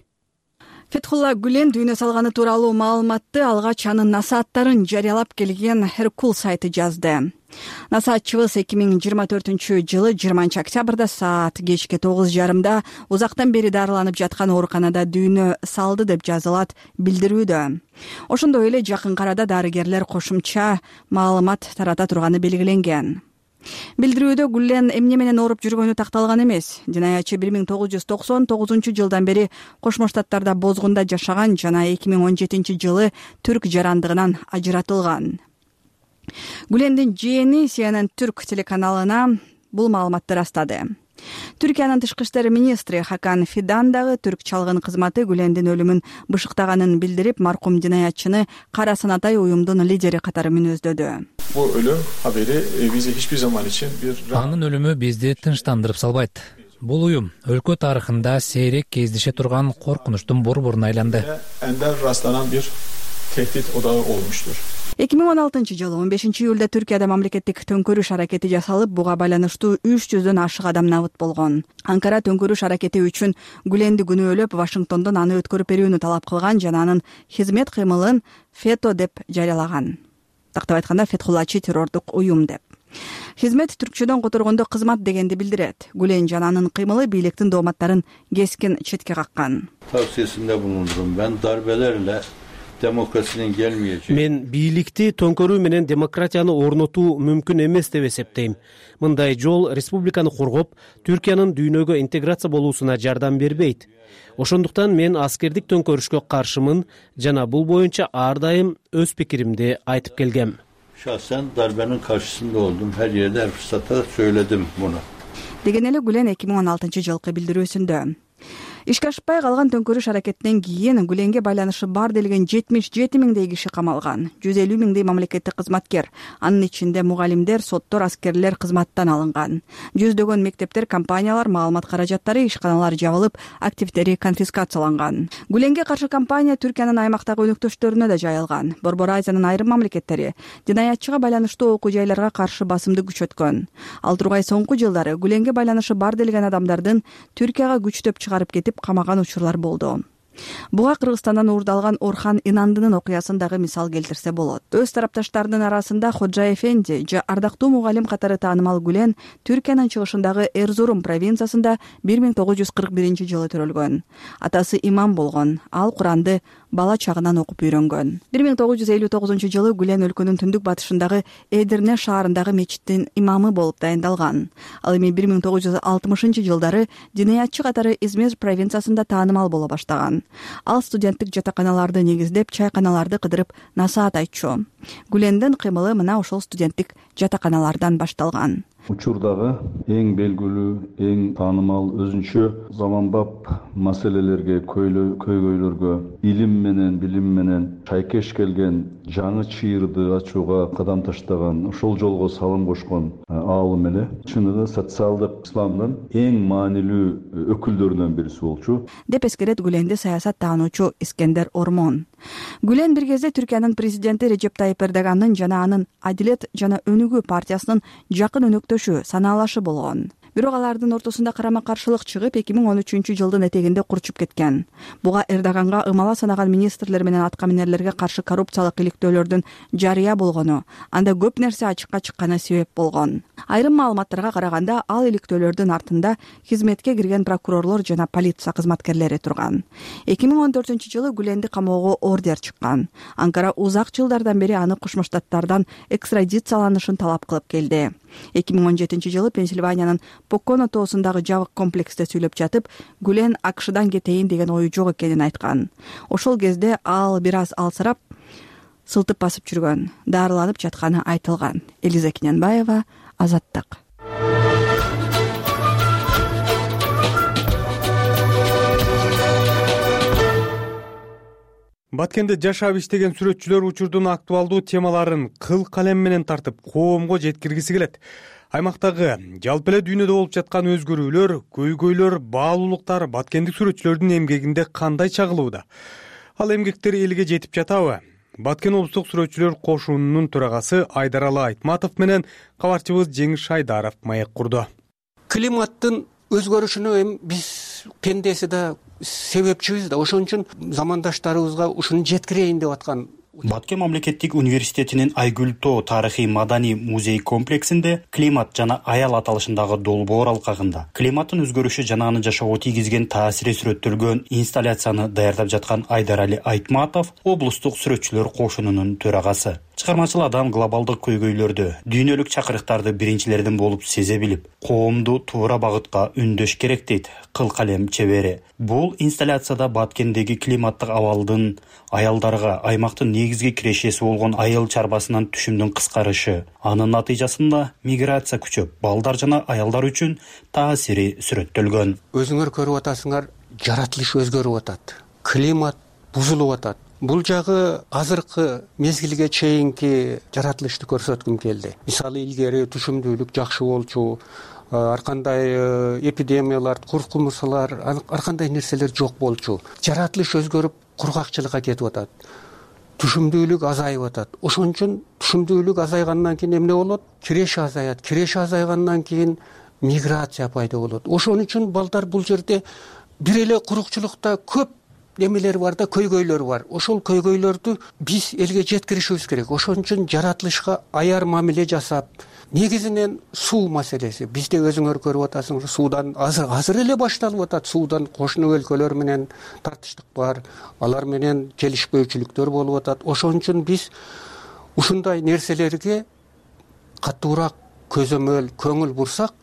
Speaker 16: Фетхулла Гүлен дүйнө салганы тууралуу маалыматты алгач анын насааттарын жарыялап келген Herkul сайты жазды. Насаатчыбыз эки миң жыйырма төртүнчү жылы жыйырманчы октябрда саат кечки тогуз жарымда узактан бери дарыланып жаткан ооруканада дүйнө салды деп жазылат билдирүүдө. Ошондой эле жакын арада дарыгерлер кошумча маалымат тарата турганы белгиленген. Билдирүүдө Гүлен эмне менен ооруп жүргөнү такталган эмес. Динаятчы бир миң тогуз жүз токсон тогузунчу жылдан бери Кошмо Штаттарда бозгунда жашаган жана эки миң он жетинчи жылы түрк жарандыгынан ажыратылган. Гүлендин жээни Си Эн Эн Түрк телеканалына бул маалыматты растады. Түркиянын тышкы иштер министри Хакан Фидан дагы түрк чалгын кызматы Гүлендин өлүмүн бышыктаганын билдирип, маркум динаятчыны кара санатай уюмдун лидери катары мүнөздөдү.
Speaker 17: Bu ölüm haberi bize hiçbir zaman için bir...
Speaker 18: Анын өлүмү бизди тынчтандырып салбайт.
Speaker 17: Бул уюм өлкө тарыхында сейрек кездеше турган коркунучтун борборуна айланды.
Speaker 18: Ender rastlanan bir tehdit odağı olmuştur.
Speaker 16: эки миң он алтынчы жылы он бешинчи июлда Түркияда мамлекеттик төңкөрүш аракети жасалып, буга байланыштуу үч жүздөн ашык адам набыт болгон. Анкара төңкөрүш аракети үчүн Гүленди күнөөлөп, Вашингтондон аны өткөрүп берүүнү талап кылган жана анын хизмет кыймылын фето деп жарыялаган. Тактап айтканда, Фетхуллачы террордук уюм деп. Хизмет түркчөдөн которгондо кызмат дегенди билдирет. Гүлен жана анын кыймылы бийликтин дооматтарын кескин четке каккан.
Speaker 19: Tavsiyesinde bulundum. Ben darbelerle demokrasinin gelmeyeceği.
Speaker 20: Мен бийликти төңкөрүү менен демократияны орнотуу мүмкүн эмес деп эсептейм. Мындай жол республиканы коргоп, Түркиянын дүйнөгө интеграция болуусуна жардам бербейт. Ошондуктан мен аскердик төңкөрүшкө каршымын жана бул боюнча ар дайым өз пикиримди айтып келгем.
Speaker 19: Şahsen darbenin karşısında oldum. Her yerde her fırsatta söyledim bunu.
Speaker 16: Деген эле Гүлен эки миң он алтынчы жылкы билдирүүсүндө. Ишке ашпай калган төңкөрүш аракетинен кийин Гүленге байланышы бар делген жетимиш жети миңдей киши камалган. жүз элүү миңдей мамлекеттик кызматкер, анын ичинде мугалимдер, соттор, аскерлер кызматтан алынган. Жүздөгөн мектептер, компаниялар, маалымат каражаттары, ишканалар жабылып, активдери конфискацияланган. Гүленге каршы кампания Түркиянын аймактагы өнөктөштөрүнө да жайылган. Борбор Азиянын айрым мамлекеттери динаятчыга байланыштуу окуу жайларга каршы басымды күчөткөн. Ал тургай соңку жылдары Гүленге байланышы бар делген адамдардын Түркияга күчтөп чыгарып кетип камаган учурлар болду. Буга Кыргызстандан уурдалган Орхан Инандынын окуясын дагы мисал келтирсе болот. Өз тарапташтарынын арасында Ходжа Эфенди же ардактуу мугалим катары таанымал Гүлен Түркиянын чыгышындагы Эрзурум провинциясында бир миң тогуз жүз кырк биринчи жылы төрөлгөн. Атасы имам болгон. Ал Куранды бала чагынан окуп үйрөнгөн. бир миң тогуз жүз элүү тогузунчу жылы Гүлен өлкөнүн түндүк батышындагы Эдирне шаарындагы мечиттин имамы болуп дайындалган. Ал эми бир миң тогуз жүз алтымышынчы жылдары динаятчы катары Измир провинциясында таанымал боло баштаган. Ал студенттик жатаканаларды негиздеп, чайканаларды кыдырып насаат айтчу. Гүлендин кыймылы мына ошол студенттик жатаканалардан башталган.
Speaker 21: Учурдагы эң белгилүү, эң таанымал өзүнчө заманбап маселелерге, көйгөйлөргө илим менен, билим менен шайкеш келген, жаңы чыйырды ачууга кадам таштаган, ошол жолго салым кошкон аалым эле. Чыныгы социалдык исламдын эң маанилүү өкүлдөрүнөн бириси болчу.
Speaker 16: Деп эскерет Гүленди саясат таануучу Искендер Ормон. Гүлен бир кезде Түркиянын президенти Режеп Тайип Эрдоганын жана анын Адилет жана Өнүгүү партиясынын жакын өнөктөшү, санаалашы болгон. Бирок алардын ортосунда карама каршылык чыгып, эки миң он үчүнчү жылдын этегинде курчуп кеткен. Буга Эрдоганга ымала санаган министрлер менен аткаминерлерге каршы коррупциялык иликтөөлөрдүн жарыя болгону, анда көп нерсе ачыкка чыкканы себеп болгон. Айрым маалыматтарга караганда, ал иликтөөлөрдүн артында хизметке кирген прокурорлор жана полиция кызматкерлери турган. эки миң он төртүнчү жылы Гүленди камоого ордер чыккан. Анкара узак жылдардан бери аны Кошмо Штаттардан экстрадицияланышын талап кылып келди. эки миң он жетинчи жылы Пенсильваниянын Поконо тоосундагы жабык комплексте сүйлөп жатып, Гүлен АКШдан кетейин деген ою жок экенин айткан. Ошол кезде ал бир аз алсырап, сылтып басып жүргөн, дарыланып жатканы айтылган. Элиза Киненбаева, Азаттык.
Speaker 1: Баткенде жашап иштеген сүрөтчүлөр учурдун актуалдуу темаларын кыл калем менен тартып, коомго жеткиргиси келет. Аймактагы жалпы эле дүйнөдө болуп жаткан өзгөрүүлөр, көйгөйлөр, баалуулуктар баткендик сүрөтчүлөрдүн эмгегинде кандай чагылууда? Ал эмгектер элге жетип жатабы? Баткен облустук сүрөтчүлөр кошунунун төрагасы Айдаралы Айтматов менен кабарчыбыз Жеңиш Шайдаров маек курду.
Speaker 22: Климаттын өзгөрүшүнө эми биз пендеси да себепчибиз да, ошон үчүн замандаштарыбызга ушуну жеткирейин деп аткан.
Speaker 23: Баткен мамлекеттик университетинин Айгүл тоо тарыхый маданий музей комплексинде климат жана аял аталышындагы долбоор алкагында климаттын өзгөрүшү жана анын жашоого тийгизген таасири сүрөттөлгөн инсталляцияны даярдап жаткан Айдарали Айтматов облустук сүрөтчүлөр кошунунун төрагасы. Чыгармачыл адам глобалдык көйгөйлөрдү, дүйнөлүк чакырыктарды биринчилердин болуп сезе билип, коомду туура багытка үндөш керек дейт Кыл калем чебери. Бул инсталляцияда Баткендеги климаттык абалдын аялдарга аймактын негизги кирешеси болгон айыл чарбасынан түшүмдүн кыскарышы, анын натыйжасында миграция күчөп, балдар жана аялдар үчүн таасири сүрөттөлгөн.
Speaker 22: Өзүңөр көрүп атасыңар, жаратылыш өзгөрүп атат. Климат бузулуп атат. Бул жагы азыркы мезгилге чейинки жаратылышты көрсөткүм келди. Мисалы, илгери түшүмдүүлүк жакшы болчу, ар кандай эпидемиялар, куркунучулар, ар кандай нерселер жок болчу. Жаратылыш өзгөрүп кургакчылыкка кетип атат. Түшүмдүүлүк азайып атат. Ошон үчүн түшүмдүүлүк азайгандан кийин эмне болот? Киреш азаят. Киреш азайгандан кийин миграция пайда болот. Ошон үчүн балдар бул жерде бир эле курукчулукта көп немелер бар да, көйгөйлөр бар. Ошол көйгөйлөрдү биз элге жеткиришибиз керек. Ошон үчүн жаратылышка аяр мамиле жасап, негизинен суу маселеси. Бизде өзүңөр көрүп атасыңар, суудан азыр азыр эле башталып атат. Суудан кошуна өлкөлөр менен тартыштык бар. Алар менен келишпөөчүлүктөр болуп атат. Ошон үчүн биз ушундай нерселерге катуураак көзөмөл, көңүл бурсак,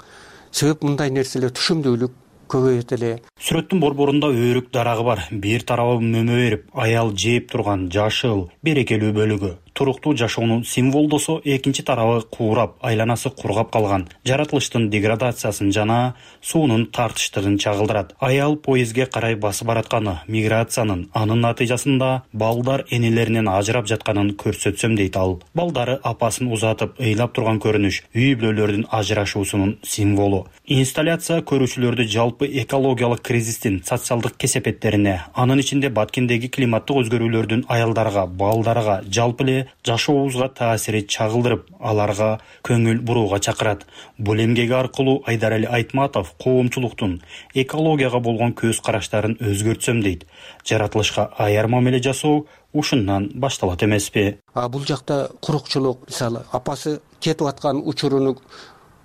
Speaker 22: себеп мындай нерселер түшүмдүүлүк көбөйөт эле.
Speaker 23: Сүрөттүн борборунда өрүк дарагы бар. Бир тарабы мөмө берип, аял жээп турган жашыл, берекелүү бөлүгү. Туруктуу жашоонун символдосо, экинчи тарабы куурап, айланасы кургап калган. Жаратылыштын деградациясын жана суунун тартыштыгын чагылдырат. Аял поездге карай басып баратканы, миграциянын, анын натыйжасында балдар энелеринен ажырап жатканын көрсөтсөм дейт ал. Балдары апасын узатып, ыйлап турган көрүнүш үй бүлөлөрдүн ажырашуусунун символу. Инсталляция көрүүчүлөрдү жалпы экологиялык кризистин социалдык кесепеттерине, анын ичинде Баткендеги климаттык өзгөрүүлөрдүн аялдарга, балдарга, жалпы эле жашообузга таасири чагылдырып, аларга көңүл бурууга чакырат. Бул эмгеги аркылуу Айдарали Айтматов коомчулуктун экологияга болгон көз караштарын өзгөртсөм дейт. Жаратылышка аяр мамиле жасоо ушундан башталат эмеспи?
Speaker 22: А бул жакта курукчулук, мисалы, апасы кетип аткан учуруну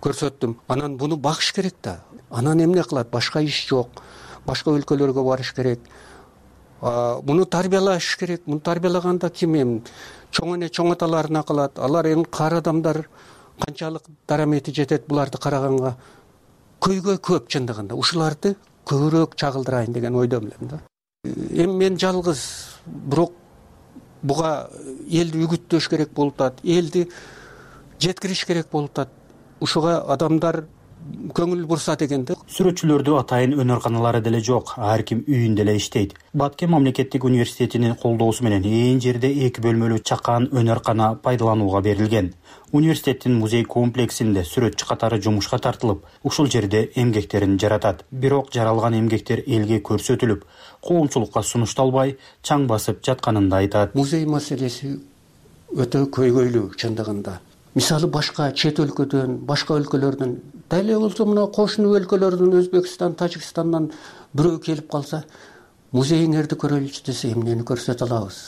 Speaker 22: көрсөттүм. Анан буну багыш керек да. Анан эмне кылат? Башка иш жок. Башка өлкөлөргө барыш керек. Муну тарбиялаш керек. Муну тарбиялаганда ким эми чоң эне чоң аталарына калат. Алар эми кар адамдар канчалык дарамети жетет буларды караганга. Көйгөй көп чындыгында. Ушуларды көбүрөөк чагылдырайын деген ойдомун да. Эми мен жалгыз, бирок буга элди үгүттөш керек болуп атат. Элди жеткириш керек болуп атат. Ушуга адамдар көңүл бурса дегенде.
Speaker 23: Сүрөтчүлөрдү атайын өнөр-каналары деле жок, ар ким үйүндө эле иштейт. Баткен мамлекеттик университетинин колдоосу менен ээн жерде эки бөлмөлүү чакан өнөр-кана пайдаланууга берилген. Университеттин музей комплексинде сүрөтчү катары жумушка тартылып, ушул жерде эмгектерин жаратат. Бирок жаралган эмгектер элге көрсөтүлүп, коомчулукка сунушталбай, чаң басып жатканын да айтат.
Speaker 22: Музей маселеси өтө көйгөйлүү чындыгында. Мисалы башка чет өлкөдөн, башка өлкөлөрдөн, дале болсо мына кошуна өлкөлөрдөн, Өзбекстан, Тажикстандан бирөө келип калса, музейиңерди көрөлүчү десе, эмнени көрсөтө алабыз?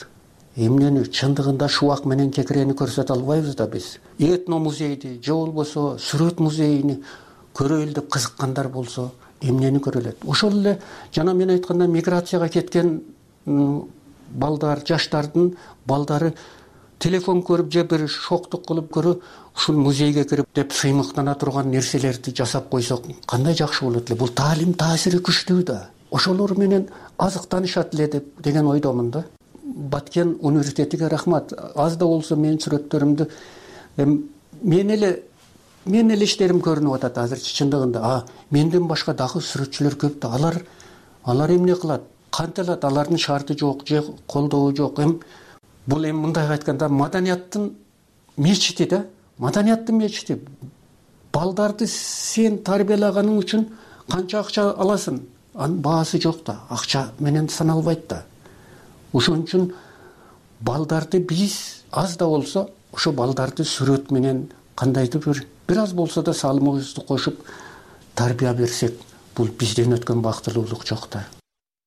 Speaker 22: Эмнени чындыгында шубак менен кекирени көрсөтө албайбыз да биз. Этно музейди, же болбосо сүрөт музейини көрөлү деп кызыккандар болсо, эмнени көрөлөт? Ошол эле жана мен айткандай миграцияга кеткен балдар, жаштардын балдары телефон көрүп же бир шоктук кылып көрүп, ушул музейге кирип деп сыймыктана турган нерселерди жасап койсок, кандай жакшы болот эле. Бул таалим таасири күчтүү да. Ошолор менен азыктанышат эле деп деген ойдомун да. Баткен университетиге рахмат. Аз да болсо менин сүрөттөрүмдү мен эле мен эле иштерим көрүнүп атат азырчы чындыгында. А менден башка дагы сүрөтчүлөр көп да. Алар алар эмне кылат? Кантелат? Алардын шарты жок, же колдоо жок. Эм бул эми мындай айтканда маданияттын мечити да. Маданияттын мечити. Балдарды сен тарбиялаганың үчүн канча акча аласың? Анын баасы жок да. Акча менен саналбайт да. Ошон үчүн балдарды биз аз да болсо ошо балдарды сүрөт менен кандайдыр бир бир аз болсо да салымыбызды кошуп тарбия берсек, бул бизден өткөн бактылуулук жок да.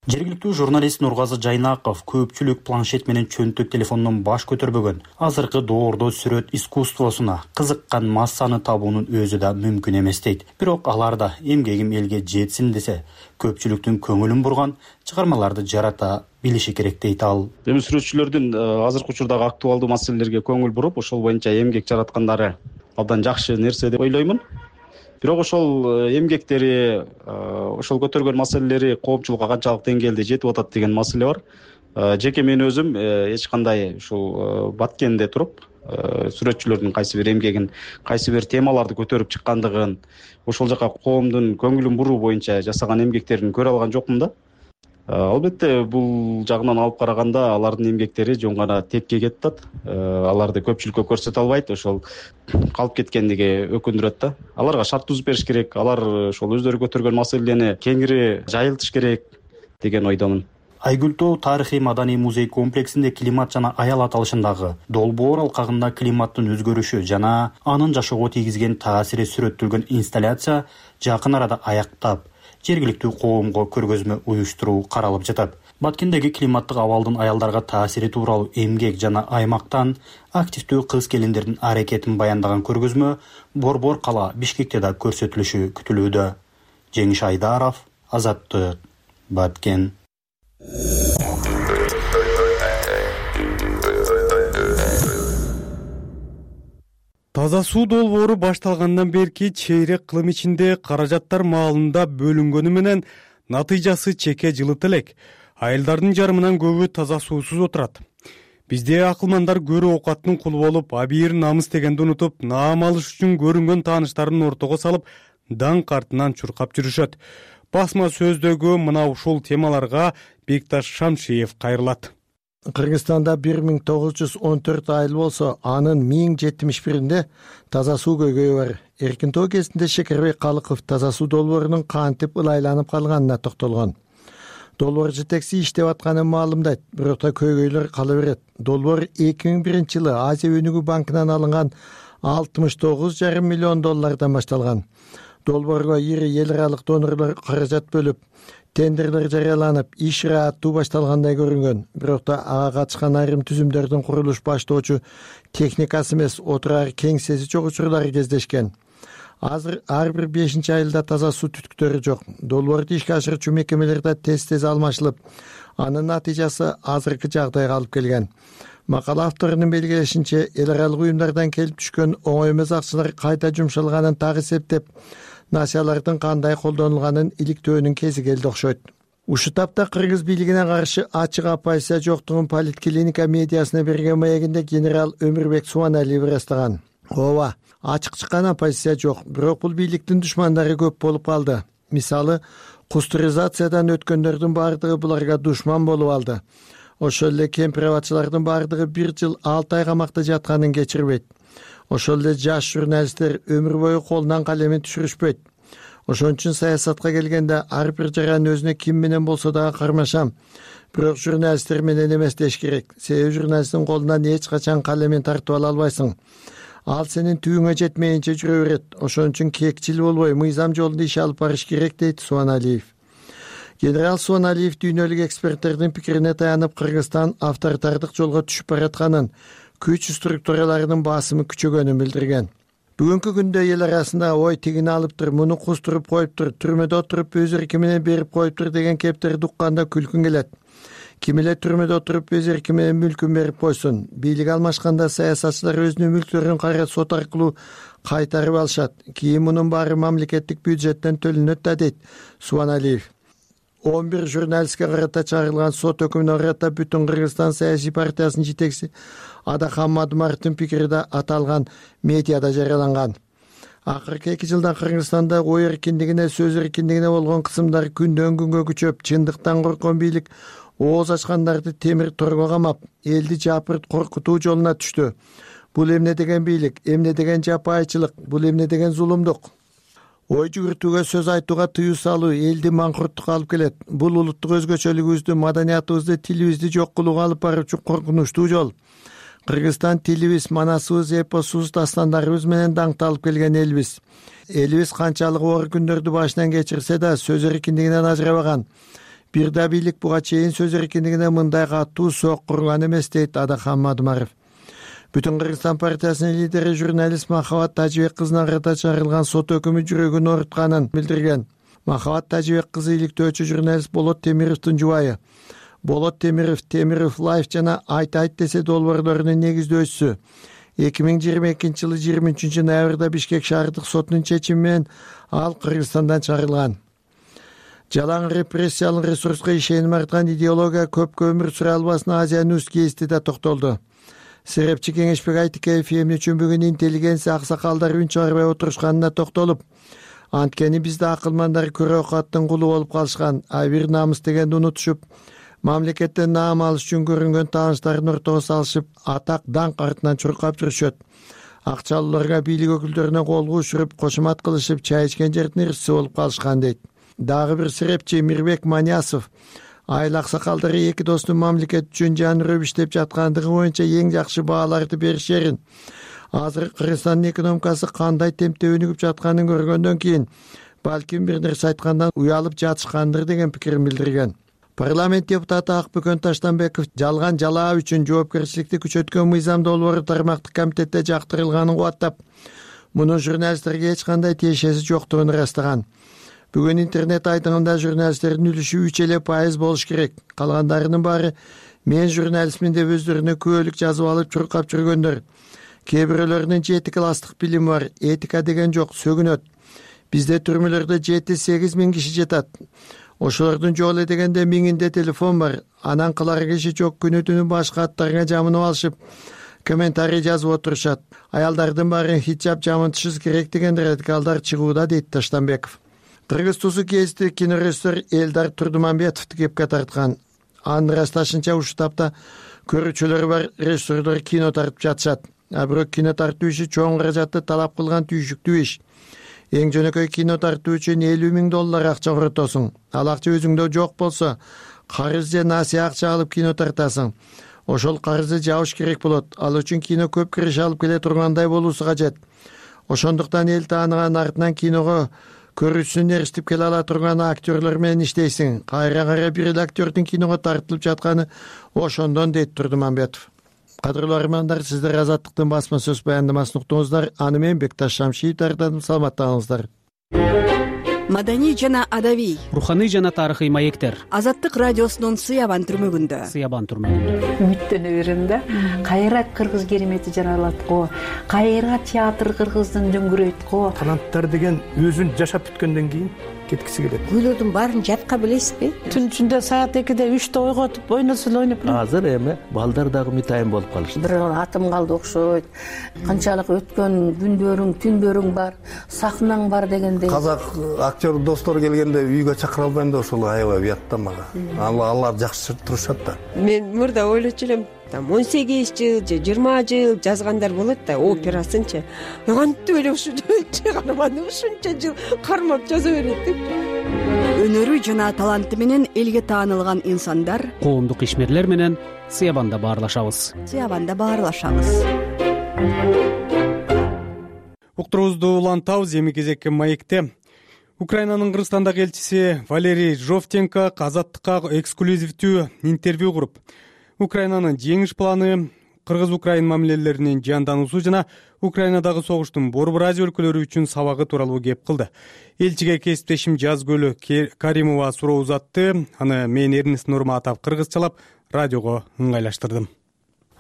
Speaker 23: Жергиликтүү журналист Нургазы Жайнаков көпчүлүк планшет менен чөнтөк телефондон баш көтөрбөгөн. Азыркы доордо сүрөт искусствосуна кызыккан массаны табуунун өзү да мүмкүн эмес дейт. Бирок алар да эмгегим элге жетсин десе, көпчүлүктүн көңүлүн бурган чыгармаларды жарата билиши керек дейт ал.
Speaker 3: Эми сүрөтчүлөрдүн азыркы учурдагы актуалдуу маселелерге көңүл буруп, ошол боюнча эмгек жараткандары абдан жакшы нерсе деп ойлоймун. Бирок ошол эмгектери, ошол көтөргөн маселелери коомчулукка канчалык деңгээлде жетип атат деген маселе бар. Жеке мен өзүм эч кандай ушул Баткенде туруп, сүрөтчүлөрдүн кайсы бир эмгегин, кайсы бир темаларды көтөрүп чыккандыгын, ошол жака коомдун көңүлүн буруу боюнча жасаган эмгектерин көрө алган жокмун да. Албетте бул жагынан алып караганда алардын эмгектери жөн гана текке кетип атат. Аларды көпчүлүккө көрсөтө албайт, ошол калып кеткендиги өкүндүрөт да. Аларга шарт түзүп бериш керек, алар ошол өздөрү көтөргөн маселени кеңири жайылтыш керек деген ойдомун.
Speaker 23: Айгүл тоо тарыхый маданий музей комплексинде климат жана аял аталышындагы долбоор алкагында климаттын өзгөрүшү жана анын жашоого тийгизген таасири сүрөттөлгөн инсталляция жакын арада аяктап, жергиликтүү коомго көргөзмө уюштуруу каралып жатат. Баткендеги климаттык абалдын аялдарга таасири тууралуу эмгек жана аймактан активдүү кыз келиндердин аракетин баяндаган көргөзмө Борбор кала Бишкекте да көрсөтүлүшү күтүлүүдө. Жеңиш Айдаров, Азаттык, Баткен.
Speaker 1: Таза суу долбоору башталгандан берки чейрек кылым ичинде каражаттар маалында бөлүнгөнү менен натыйжасы чекке жылыт элек. Айылдардын жарымынан көбү таза суусуз отурат. Бизде акылмандар көрүү оокаттын кулу болуп, абийир намыс дегенди унутуп, наам алыш үчүн көрүнгөн тааныштарын ортого салып, даңк артынан чуркап жүрүшөт. Басма сөздөгү мына ушул темаларга Бекташ Шамшиев кайрылат.
Speaker 4: Кыргызстанда бир миң тогуз жүз он төрт айыл болсо, анын миң жетимиш биринде таза суу көйгөйү бар. Эркин тоо кезинде Шекербек Калыков таза суу долбоорунун кантип ылайланып калганына токтолгон. Долбоор жетекчиси иштеп атканын маалымдайт, бирок да көйгөйлөр кала берет. Долбоор эки миң биринчи жылы Азия өнүгүү банкынан алынган алтымыш тогуз жарым миллион доллардан башталган. Долбоорго ири эл аралык донорлор каражат бөлүп, тендерлер жарыяланып, иш ырааттуу башталгандай көрүнгөн. Бирок да ага катышкан айрым түзүмдөрдүн курулуш баштоочу техникасы эмес, отурар кеңсеси жок учурлары кездешкен. Азыр ар бир бешинчи айылда таза суу түтүктөрү жок. Долбоорду ишке ашырчу мекемелерде тез-тез алмашылып, анын натыйжасы азыркы жагдайга алып келген. Макала авторунун белгилешинче, эл аралык уюмдардан келип түшкөн оңой эмес акчалар кайда жумшалганын так эсептеп, насиялардын кандай колдонулганын иликтөөнүн кези келди окшойт. Ушул тапта кыргыз бийлигине каршы ачык оппозиция жоктугун Политклиника медиасына берген маегинде генерал Өмүрбек Субаналиев ырастаган. Ооба, ачык чыккан оппозиция жок, бирок бул бийликтин душмандары көп болуп калды. Мисалы, кустуризациядан өткөндөрдүн баардыгы буларга душман болуп алды. Ошол эле кемпир-абадчылардын баардыгы бир жыл алты ай камакта жатканын кечирбейт. Ошол эле жаш журналисттер өмүр бою колунан калемин түшүрүшпөйт. Ошон үчүн саясатка келгенде ар бир жаран өзүнө ким менен болсо дагы кармашам. Бирок журналисттер менен эмес деш керек. Себеби журналисттин колунан эч качан калемин тартып ала албайсың. Ал сенин түбүңө жетмейинче жүрө берет. Ошон үчүн кекчил болбой, мыйзам жолунда иш алып барыш керек, дейт Субаналиев. Генерал Субаналиев дүйнөлүк эксперттердин пикирине таянып, Кыргызстан авторитардык жолго түшүп баратканын, күч структураларынын басымы күчөгөнүн билдирген. Бүгүнкү күндө эл арасында ой тигини алыптыр, муну кустуруп коюптур, түрмөдө отуруп өз эрки менен берип коюптур деген кептерди укканда күлкүң келет. Ким эле түрмөдө отуруп өз эрки менен мүлкүн берип койсун. Бийлик алмашканда саясатчылар өзүнүн мүлктөрүн кайра сот аркылуу кайтарып алышат. Кийин мунун баары мамлекеттик бюджеттен төлөнөт да, дейт Субаналиев. он бир журналистке карата чыгарылган сот өкүмүнө карата Бүтүн Кыргызстан саясий партиясынын жетекчиси Адахан Мадумаровдун пикири да аталган медиада жарыяланган. Акыркы эки жылда Кыргызстанда ой эркиндигине, сөз эркиндигине болгон кысымдар күндөн күнгө күчөп, чындыктан корккон бийлик ооз ачкандарды темир торго камап, элди жапырт коркутуу жолуна түштү. Бул эмне деген бийлик, эмне деген жапайчылык, бул эмне деген зулумдук? Ой жүгүртүүгө, сөз айтууга тыюу салуу элди маңкурттукка алып келет. Бул улуттук өзгөчөлүгүбүздү, маданиятыбызды, тилибизди жок кылууга алып баруучу коркунучтуу жол. Кыргызстан тилибиз, манасыбыз, эпосубуз, дастандарыбыз менен даңкталып келген элбиз. Элибиз канчалык оор күндөрдү башынан кечирсе да, сөз эркиндигинен ажырабаган. Бир да бийлик буга чейин сөз эркиндигине мындай катуу соок курган эмес, дейт Адахан Мадумаров. Бүтүн Кыргызстан партиясынын лидери журналист Махабат Тажибек кызына карата чыгарылган сот өкүмү жүрөгүн оорутканын билдирген. Махабат Тажибек кызы иликтөөчү журналист Болот Темировдун жубайы. Болот Темиров, Темиров Лайф жана Айт айт десе долбоорлорунун негиздөөчүсү. эки миң жыйырма экинчи жылы жыйырма үчүнчү ноябрда Бишкек шаардык сотунун чечими менен ал Кыргызстандан чыгарылган. Жалаң репрессиялык ресурска ишеним арткан идеология көпкө өмүр сүрө албасын Азия Ньюс гезити да токтолду. Серепчи Кеңешбек Айтикеев эмне үчүн бүгүн интеллигенция аксакалдар үн чыгарбай отурушканына токтолуп, Анткени бизде акылмандар көрө окаттын кулу болуп калышкан, айбир намыс дегенди унутушуп, мамлекеттен наам алыш үчүн көрүнгөн тааныштарын ортого салышып, атак даңк артынан чуркап жүрүшөт. Акчалууларга бийлик өкүлдөрүнө колго учуруп, кошумат кылышып, чай ичкен жердин ырчысы болуп калышкан дейт. Дагы бир серепчи Мирбек Манясов айыл аксакалдары эки достун мамлекет үчүн жан үрөп иштеп жаткандыгы боюнча эң жакшы бааларды беришерин, азыр Кыргызстандын экономикасы кандай темпте өнүгүп жатканын көргөндөн кийин балким бир нерсе айткандан уялып жатышкандыр деген пикирин билдирген. Парламент депутаты Акбөкөн Таштанбеков жалган жалаа үчүн жоопкерчиликти күчөткөн мыйзам долбоору тармактык комитетте жактырылганын кубаттап, мунун журналисттерге эч кандай тиешеси жоктугун ырастаган. Бүгүн интернет айтымында журналисттердин үлүшү үч эле пайыз болуш керек. Калгандарынын баары мен журналистмин деп өздөрүнө күбөлүк жазып алып чуркап жүргөндөр. Кээ бирөөлөрүнүн жети класстык билими бар, этика деген жок, сөгүнөт. Бизде түрмөлөрдө жети сегиз миң киши жатат. Ошолордун жок эле дегенде миңинде телефон бар. Анан кылар киши жок, күнү түнү башка аттарга жамынып алышып, комментарий жазып отурушат. Аялдардын баары хиджаб жамынтышыбыз керек деген радикалдар чыгууда, дейт Таштанбеков. Кыргыз тусу кезди кинорежиссер Элдар Турдуманбетовду кепке тарткан. Анын ырасташынча ушул тапта көрүүчүлөрү бар режиссерлор кино тартып жатышат. А бирок кино тартуу иши чоң каражатты талап кылган түйшүктүү иш. Эң жөнөкөй кино тартуу үчүн элүү миң доллар акча коротосуң. Ал акча өзүңдө жок болсо, карыз же насыя акча алып кино тартасың. Ошол карызды жабыш керек болот. Ал үчүн кино көп кириш алып келе тургандай болуусу кажет. Ошондуктан эл тааныган артынан киного көрүүчүсүн эрişтип келе ала турган актерлор менен иштейсиң. Кайра кайра бир эле актердин киного тартылып жатканы ошондон, дейт Турдуманбетов. Кадырлуу армандар, сиздер Азаттыктын басма сөз баяндамасын уктуңуздар. Аны мен Бекташ Шамшиев даярдадым. Саламаттаңыздар.
Speaker 16: Маданий жана адабий,
Speaker 20: руханий жана тарыхый маектер.
Speaker 16: Азаттык радиосунун Сыябан түрмөгүндө.
Speaker 20: Сыябан түрмөгүндө.
Speaker 5: Үмүттөнө берем да. Кайра кыргыз керемети жаралат го. Кайра театр кыргыздын дөңгүрөйт го.
Speaker 6: Таланттар деген өзүн жашап бүткөндөн кийин кеткиси келет.
Speaker 5: Күйлөрдүн баарын жатка билесизби? Түн ичинде саат экиде үчтө ойготуп, ойносо эле ойноп.
Speaker 6: Азыр эми балдар дагы мытайын болуп калышты.
Speaker 5: Бир атым калды окшойт. Канчалык өткөн күндөрүң, түндөрүң бар, сахнаң бар дегендей.
Speaker 6: Казак актер достор келгенде үйгө чакыра албайм да, ошол аябай уят да мага. Алар жакшы турушат да.
Speaker 7: Мен мурда ойлочу элем, там он сегиз жыл же жыйырма жыл жазгандар болот да, операсынчы. Кантип эле ушу чыгарманы ушунча жыл кармап жаза берет деп.
Speaker 16: Өнөрү жана таланты менен элге таанылган инсандар,
Speaker 20: коомдук ишмерлер менен Сыябанда баарлашабыз.
Speaker 16: Сыябанда баарлашабыз.
Speaker 1: Уктуруубузду улантабыз. Эми кезекке маекте Украинанын Кыргызстандагы элчиси Валерий Жовтенко Азаттыкка эксклюзивдүү интервью куруп, Украинанын жеңиш планы, Кыргыз-Украин мамилелеринин жандоосу жана Украинадагы согуштун борбор Азия өлкөлөрү үчүн сабагы тууралуу кеп кылды. Элчиге кесиптешим Жазгөлү Каримова суроо узатты. Аны мен Эрнест Нурматов кыргызчалап радиого ыңгайлаштырдым.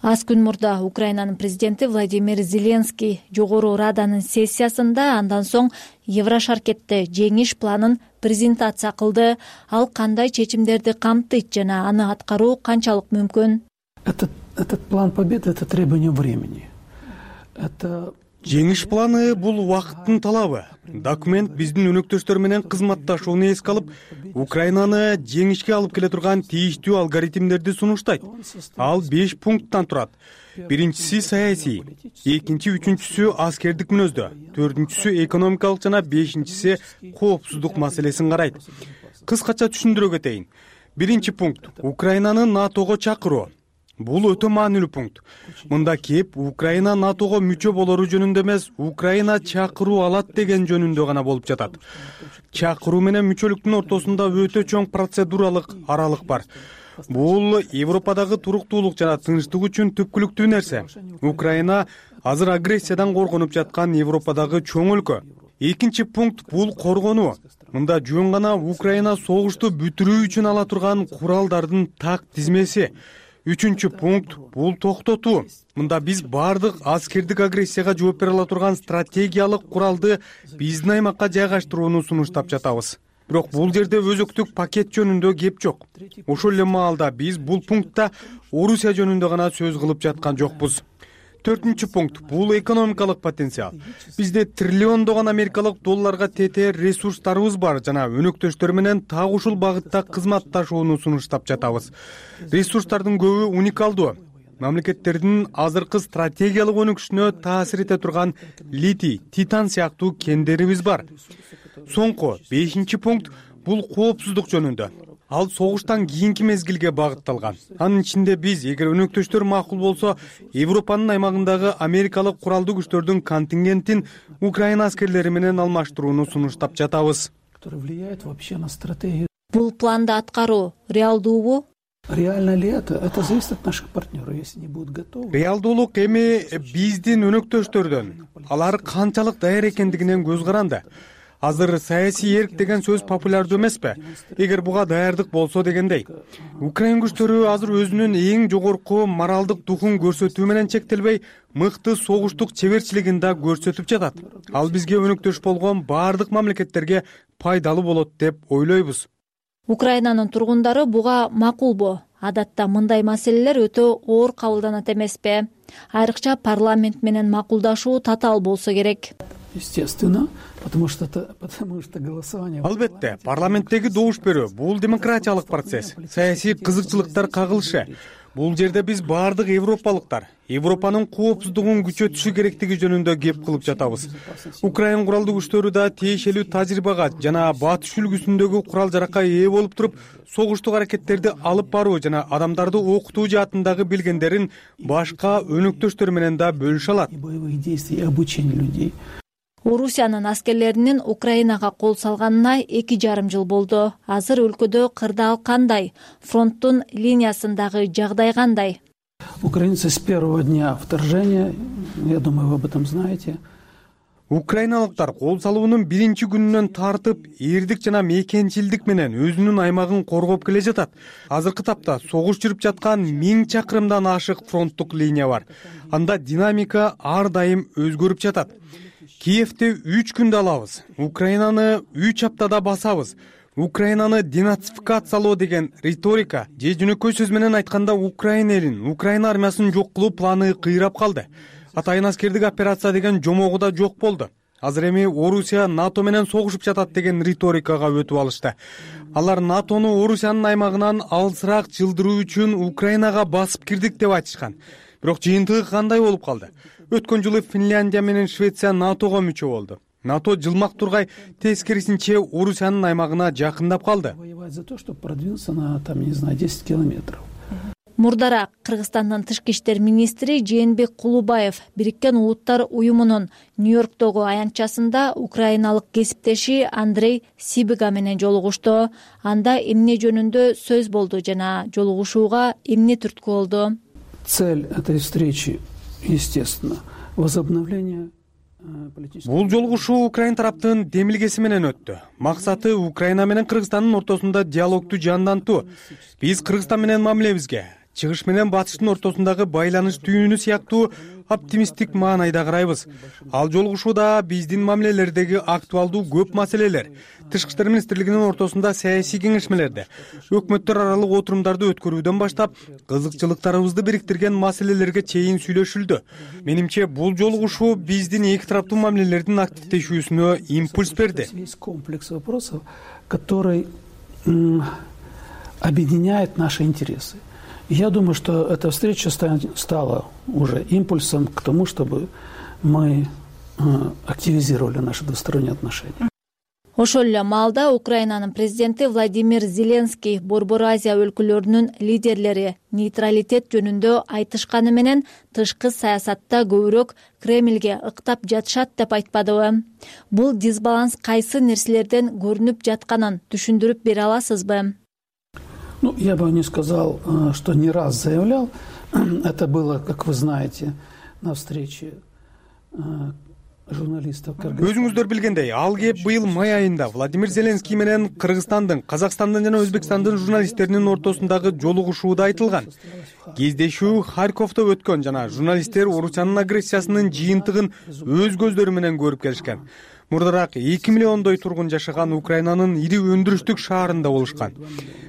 Speaker 24: Аз күн мурда Украинанын президенти Владимир Зеленский жогору раданын сессиясында андан соң Еврошаркетте жеңиш планын презентация кылды. Ал кандай чечимдерди камтыйт жана аны аткаруу канчалык мүмкүн?
Speaker 25: Этот план победы — это требование времени. Это
Speaker 1: Жеңиш планы бул убакыттын талабы. Документ биздин өнөктөштөр менен кызматташууну эске алып, Украинаны жеңишке алып келе турган тийиштүү алгоритмдерди сунуштайт. Ал беш пункттан турат. Биринчиси саясий, экинчи, үчүнчүсү аскердик мүнөздө, төртүнчүсү экономикалык жана бешинчиси коопсуздук маселесин карайт. Кыскача түшүндүрө кетейин. Биринчи пункт — Украинаны НАТОго чакыруу. Бул өтө маанилүү пункт. Мында кеп Украина НАТОго мүчө болору жөнүндө эмес, Украина чакыруу алат деген жөнүндө гана болуп жатат. Чакыруу менен мүчөлүктүн ортосунда өтө чоң процедуралык аралык бар. Бул Европадагы туруктуулук жана тынчтык үчүн түпкүлүктүү нерсе. Украина азыр агрессиядан коргонуп жаткан Европадагы чоң өлкө. Экинчи пункт бул коргонуу. Мында жөн гана Украина согушту бүтүрүү үчүн ала турган куралдардын так тизмеси. Үчүнчү пункт бул токтотуу. Мында биз бардык аскердик агрессияга жооп бере ала турган стратегиялык куралды биздин аймакка жайгаштырууну сунуштап жатабыз. Бирок бул жерде өзөктүк пакет жөнүндө кеп жок. Ошол эле маалда биз бул пунктта Орусия жөнүндө гана сөз кылып жаткан жокпуз. төртүнчү пункт — бул экономикалык потенциал. Бизде триллиондогон америкалык долларга тетээр ресурстарыбыз бар жана өнөктөштөр менен так ушул багытта кызматташууну сунуштап жатабыз. Ресурстардын көбү уникалдуу. Мамлекеттердин азыркы стратегиялык өнүгүшүнө таасир эте турган литий, титан сыяктуу кендерибиз бар. Соңку бешинчи пункт — бул коопсуздук жөнүндө. Ал согуштан кийинки мезгилге багытталган. Анын ичинде биз, эгер өнөктөштөр макул болсо, Европанын аймагындагы америкалык куралдуу күчтөрдүн контингентин Украина аскерлери менен алмаштырууну сунуштап жатабыз.
Speaker 24: Бул планды аткаруу реалдуубу?
Speaker 25: Реально ли это? Это зависит от наших партнеров. Если не будут готовы.
Speaker 1: Реалдуулук эми биздин өнөктөштөрдөн. Алар канчалык даяр экендигинен көз каранды. Азыр саясий эрк деген сөз популярдуу эмеспи? Эгер буга даярдык болсо дегендей. Украин күчтөрү азыр өзүнүн эң жогорку моралдык духун көрсөтүү менен чектелбей, мыкты согуштук чеберчилигин да көрсөтүп жатат. Ал бизге өнөктөш болгон баардык мамлекеттерге пайдалуу болот деп ойлойбуз.
Speaker 24: Украинанын тургундары буга макулбу? Адатта мындай маселелер өтө оор кабылданат эмеспи? Айрыкча парламент менен макулдашуу татаал болсо керек.
Speaker 25: Естественно, потому что это, потому что голосование.
Speaker 1: Албетте, парламенттеги добуш берүү бул демократиялык процесс. Саясий кызыкчылыктар кагылышы. Бул жерде биз баардык европалыктар Европанын коопсуздугун күчөтүшү керектиги жөнүндө кеп кылып жатабыз. Украин куралдуу күчтөрү да тиешелүү тажрыйбага жана батыш үлгүсүндөгү курал-жаракка ээ болуп туруп, согуштук аракеттерди алып баруу жана адамдарды окутуу жаатындагы билгендерин башка өнөктөштөр менен да бөлүшө алат.
Speaker 24: Орусиянын аскерлеринин Украинага кол салганына эки жарым жыл болду. Азыр өлкөдө кырдаал кандай? Фронттун линиясындагы жагдай кандай?
Speaker 25: Украинцы с первого дня вторжения, я думаю, вы об этом знаете.
Speaker 1: Украиналыктар кол салуунун биринчи күнүнөн тартып, эрдик жана мекенчилдик менен өзүнүн аймагын коргоп келе жатат. Азыркы тапта согуш жүрүп жаткан миң чакырымдан ашык фронттук линия бар. Анда динамика ар дайым өзгөрүп жатат. Киевди үч күндө алабыз. Украинаны үч аптада басабыз. Украинаны денацификациялоо деген риторика же жөнөкөй сөз менен айтканда Украина элин, Украина армиясын жок кылуу планы кыйрап калды. Атайын аскердик операция деген жомогу да жок болду. Азыр эми Орусия НАТО менен согушуп жатат деген риторикага өтүп алышты. Алар НАТОну Орусиянын аймагынан алысыраак жылдыруу үчүн Украинага басып кирдик деп айтышкан. Бирок жыйынтыгы кандай болуп калды? Өткөн жылы Финляндия менен Швеция НАТОго мүчө болду. НАТО жылмак тургай тескерисинче Орусиянын аймагына жакындап калды.
Speaker 25: Воевать за то, чтобы продвинуться на, там, не знаю, десять километров.
Speaker 24: Мурдараак Кыргызстандын тышкы иштер министри Жээнбек Кулубаев Бириккен Улуттар уюмунун Нью-Йорктогу аянтчасында украиналык кесиптеши Андрей Сибига менен жолугушту. Анда эмне жөнүндө сөз болду жана жолугушууга эмне түрткү болду?
Speaker 25: Цель этой встречи, естественно, возобновление.
Speaker 1: Бул жолугушуу Украин тараптын демилгеси менен өттү. Максаты Украина менен Кыргызстандын ортосунда диалогду жандантуу. Биз Кыргызстан менен мамилебизге, чыгыш менен батыштын ортосундагы байланыш түйүнү сыяктуу оптимисттик маанайда карайбыз. Ал жолугушууда биздин мамилелердеги актуалдуу көп маселелер, тышкы иштер министрлигинин ортосунда саясий кеңешмелерди, өкмөттөр аралык отурумдарды өткөрүүдөн баштап, кызыкчылыктарыбызды бириктирген маселелерге чейин сүйлөшүлдү. Менимче бул жолугушуу биздин эки тараптуу мамилелердин активдешүүсүнө импульс берди.
Speaker 25: Есть комплекс вопросов, который объединяет наши интересы. Я думаю, что эта встреча стала уже импульсом к тому, чтобы мы активизировали наши двусторонние отношения.
Speaker 24: Ошол эле маалда Украинанын президенти Владимир Зеленский Борбор Азия өлкөлөрүнүн лидерлери нейтралитет жөнүндө айтышканы менен тышкы саясатта көбүрөөк Кремльге ыктап жатышат деп айтпадыбы? Бул дисбаланс кайсы нерселерден көрүнүп жатканын түшүндүрүп бере аласызбы?
Speaker 25: Ну, я бы не сказал, что не раз заявлял. Это было, как вы знаете, на встрече журналистов.
Speaker 1: Өзүңүздөр билгендей, ал кеп быйыл май айында Владимир Зеленский менен Кыргызстандын, Казакстандын жана Өзбекстандын журналисттеринин ортосундагы жолугушууда айтылган. Кездешүү Харьковдо өткөн жана журналисттер Орусиянын агрессиясынын жыйынтыгын өз көздөрү менен көрүп келишкен. Мурдараак эки миллиондой тургун жашаган Украинанын ири өндүрүштүк шаарында болушкан.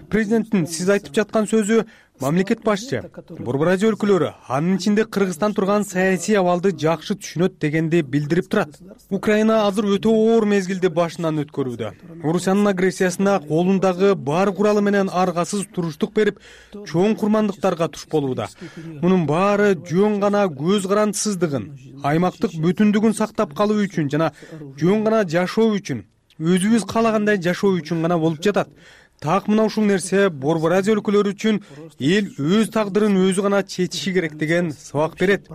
Speaker 1: Президенттин сиз айтып жаткан сөзү Мамлекет башчы Борбор Азия өлкөлөрү, анын ичинде Кыргызстан турган саясий абалды жакшы түшүнөт дегенди билдирип турат. Украина азыр өтө оор мезгилди башынан өткөрүүдө. Орусиянын агрессиясына колундагы бар куралы менен аргасыз туруштук берип, чоң курмандыктарга туш болууда. Мунун баары жөн гана көз карандысыздыгын, аймактык бүтүндүгүн сактап калуу үчүн жана жөн гана жашоо үчүн, өзүбүз каалагандай жашоо үчүн гана болуп жатат. Так мына ушул нерсе Борбор Азия өлкөлөрү үчүн эл өз тагдырын өзү гана чечиши керек деген сабак берет.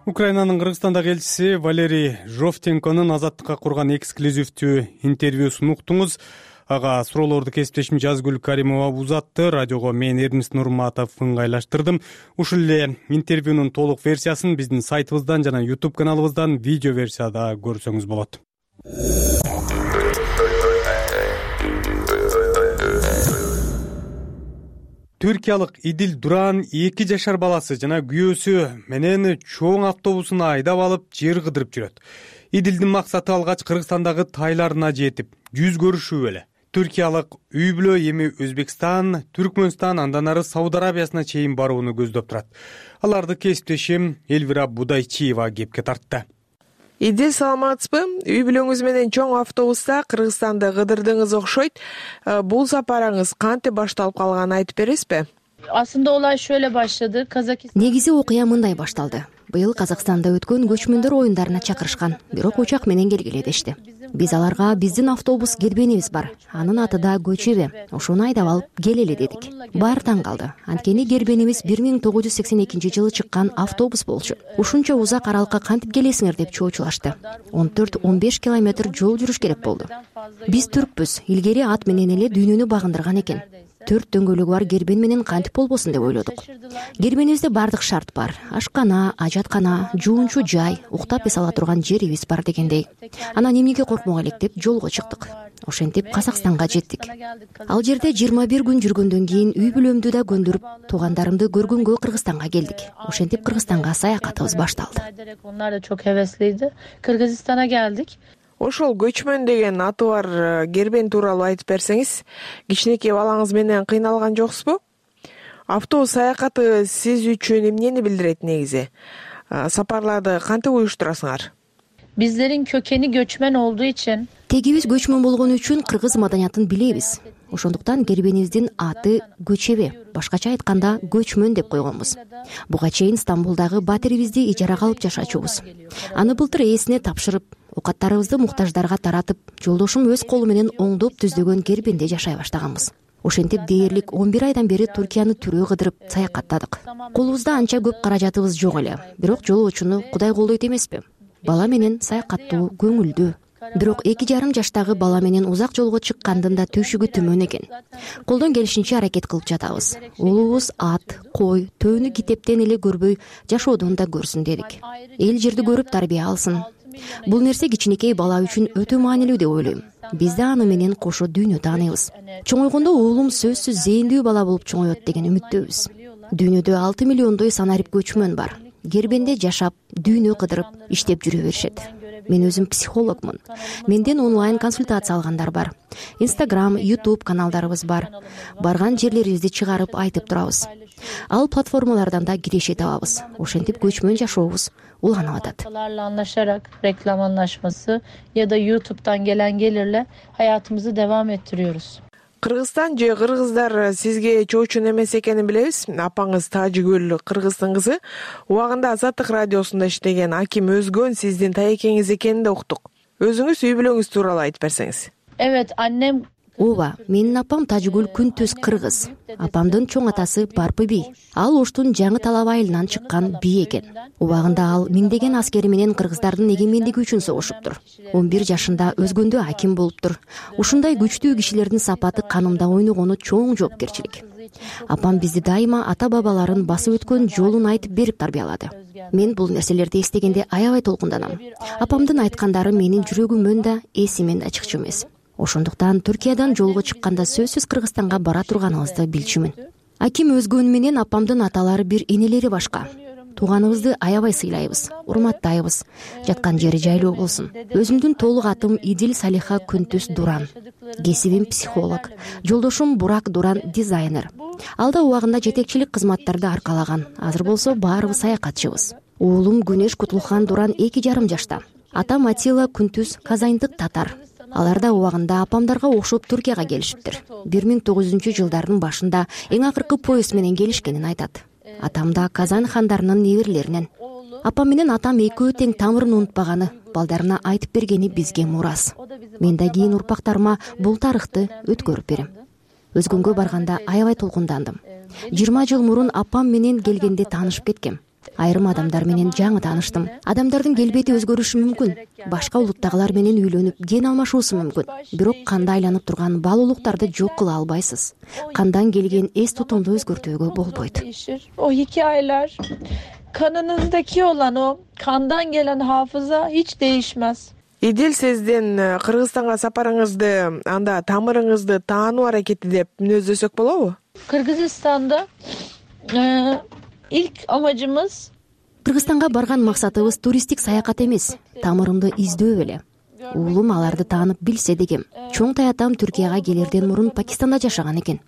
Speaker 1: Украинанын Кыргызстандагы элчиси Валерий Жовтенконун Азаттыкка курган эксклюзивдүү интервьюсун уктуңуз. Ага суроолорду кесиптешим Жазгүл Каримова узатты. Радиого мен Эрмис Нурматов ыңгайлаштырдым. Ушул эле интервьюнун толук версиясын биздин сайтыбыздан жана YouTube каналыбыздан видео версияда көрсөңүз болот. Түркиялык Идил Дуран эки жашар баласы жана күйөөсү менен чоң автобусун айдап алып жер кыдырып жүрөт. Идилдин максаты алгач Кыргызстандагы тайларына жетип, жүз көрүшүү эле. Түркиялык үй бүлө эми Өзбекстан, Түркмөнстан, андан ары Сауд Арабиясына чейин барууну көздөп турат. Аларды кесиптешим Элвира Будайчиева кепке тартты.
Speaker 2: Идил, саламатсызбы? Үй бүлөңүз менен чоң автобуста Кыргызстанды кыдырдыңыз окшойт. Бул сапарыңыз кантип башталып калганын айтып бересизби?
Speaker 8: Aslında olay şöyle başladı. Kazakistan.
Speaker 9: Негизи окуя мындай башталды. Быйыл Казакстанда өткөн көчмөндөр оюндарына чакырышкан, бирок учак менен келгиле дешти. Биз аларга биздин автобус кербенибиз бар. Анын аты да Көчебе. Ошону айдап алып келели дедик. Баары таң калды. Анткени кербенибиз бир миң тогуз жүз сексен экинчи жылы чыккан автобус болчу. Ушунча узак аралыкка кантип келесиңер деп чоочулашты. он төрт он беш километр жол жүрүш керек болду. Биз түркпүз. Илгери ат менен эле дүйнөнү багындырган экен. Төрт дөңгөлөгү бар кербен менен кантип болбосун деп ойлодук. Кербенибизде бардык шарт бар. Ашкана, ажаткана, жуунчу жай, уктап эс ала турган жерибиз бар дегендей. Анан эмнеге коркмок элек деп жолго чыктык. Ошентип Казакстанга жеттик. Ал жерде жыйырма бир күн жүргөндөн кийин үй бүлөмдү да көндүрүп, туугандарымды көргөнгө Кыргызстанга келдик. Ошентип Кыргызстанга саякатыбыз башталды.
Speaker 8: Onlar da çok hevesliydi. Kırgızistan'a geldik.
Speaker 2: Ошол көчмөн деген аты бар кербен тууралуу айтып берсеңиз, кичинекей балаңыз менен кыйналган жоксузбу? Автобус саякаты сиз үчүн эмнени билдирет негизи? Сапарларды кантип уюштурасыңар?
Speaker 8: Bizlerin kökeni göçmen olduğu için
Speaker 9: Тегибиз көчмөн болгон үчүн кыргыз маданиятын билебиз. Ошондуктан кербенибиздин аты Көчебе, башкача айтканда көчмөн деп койгонбуз. Буга чейин Стамбулдагы батирибизди ижарага алып жашачубуз. Аны былтыр ээсине тапшырып, окаттарыбызды муктаждарга таратып, жолдошум өз колу менен оңдоп түздөгөн кербенде жашай баштаганбыз. Ошентип дээрлик он бир айдан бери Түркияны түрөө кыдырып саякаттадык. Колубузда анча көп каражатыбыз жок эле, бирок жолоочуну Кудай колдойт эмеспи? Бала менен саякаттоо көңүлдүү. Бирок эки жарым жаштагы бала менен узак жолго чыккандын да төшүгү төмөн экен. Колдон келишинче аракет кылып жатабыз. Уулубуз ат, кой, төөнү китептен эле көрбөй жашоодон да көрсүн дедик. Эл жерди көрүп тарбия алсын. Бул нерсе кичинекей бала үчүн өтө маанилүү деп ойлойм. Биз да аны менен кошо дүйнө тааныйбыз. Чоңойгондо уулум сөзсүз зээндүү бала болуп чоңоет деген үмүттөбүз. Дүйнөдө алты миллиондой санарип көчмөн бар. Кербенде жашап, дүйнө кыдырып, иштеп жүрө беришет. Мен өзүм психологмун. Менден онлайн консультация алгандар бар. Instagram, YouTube каналдарыбыз бар. Барган жерлерибизди чыгарып айтып турабыз. Ал платформалардан да киреше табабыз. Ошентип көчмөн жашообуз уланып атат.
Speaker 8: Anlaşarak reklam anlaşması ya da YouTube'dan gelen gelirle hayatımızı devam ettiriyoruz.
Speaker 2: Кыргызстан же кыргыздар сизге чоочун эмес экенин билебиз. Апаңыз Тажигүл Кыргыздын кызы. Убагында Азаттык радиосунда иштеген Аким Өзгөн сиздин таекеңиз экенин да уктук. Өзүңүз үй бүлөңүз тууралуу айтып берсеңиз.
Speaker 8: Evet, annem
Speaker 9: Ооба, менин апам Тажигүл Күнтүз кыргыз. Апамдын чоң атасы Барпы би. Ал Оштун жаңы талап айылынан чыккан би экен. Убагында ал миңдеген аскери менен кыргыздардын эгемендиги үчүн согушуптур. он бир жашында Өзгөндө аким болуптур. Ушундай күчтүү кишилердин сапаты канымда ойногону чоң жоопкерчилик. Апам бизди дайыма ата-бабаларын басып өткөн жолун айтып берип тарбиялады. Мен бул нерселерди эстегенде аябай толкунданам. Апамдын айткандары менин жүрөгүмөн да, эсимен да чыкчу эмес. Ошондуктан Түркиядан жолго чыкканда сөзсүз Кыргызстанга бара турганыбызды билчүмүн. Аким Өзгөн менен апамдын аталары бир энелери башка. тууганыбызды аябай сыйлайбыз, урматтайбыз. Жаткан жери жайлуу болсун. Өзүмдүн толук атым Идил Салиха Күнтүс Дуран. Кесибим психолог. Жолдошум Бурак Дуран дизайнер. Алда убагында жетекчилик кызматтарды аркалаган. Азыр болсо баарыбыз саякатчыбыз. Уулум Күнөш Кутулхан Дуран эки жарым жашта. Атам Атила Күнтүс казайндык татар. Алар да убагында апамдарга окшоп Түркияга келишиптир. бир миң тогуз жүзүнчү жылдардын башында эң акыркы поезд менен келишкенин айтат. Атам да Казан хандарынын неберелеринен. Апам менен атам экөө тең тамырын унутпаганы, балдарына айтып бергени бизге мурас. Мен да кийин урпактарыма бул тарыхты өткөрүп берем. Өзгөнгө барганда аябай толкундандым. жыйырма жыл мурун апам менен келгенде таанышып кеткем. Айрым адамдар менен жаңы тааныштым. Адамдардын келбети өзгөрүшү мүмкүн. Башка улуттагылар менен үйлөнүп, ген алмашуусу мүмкүн. Бирок канда айланып турган бал улуктарды жок кыла албайсыз. Кандан келген эс тутумду өзгөртүүгө болбойт.
Speaker 8: O hikayeler, kanınızdaki olan o kandan gelen hafıza hiç değişmez.
Speaker 2: Идил, сиздин Кыргызстанга сапарыңызды, анда тамырыңызды таануу аракети деп мүнөздөсөк болобу?
Speaker 8: Kırgızistan'da e, ilk amacımız
Speaker 9: Кыргызстанга барган максатыбыз туристтик саякат эмес, тамырымды издөө эле. Уулум аларды таанып билсе дегем. Чоң таятам Түркияга келерден мурун Пакистанда жашаган экен.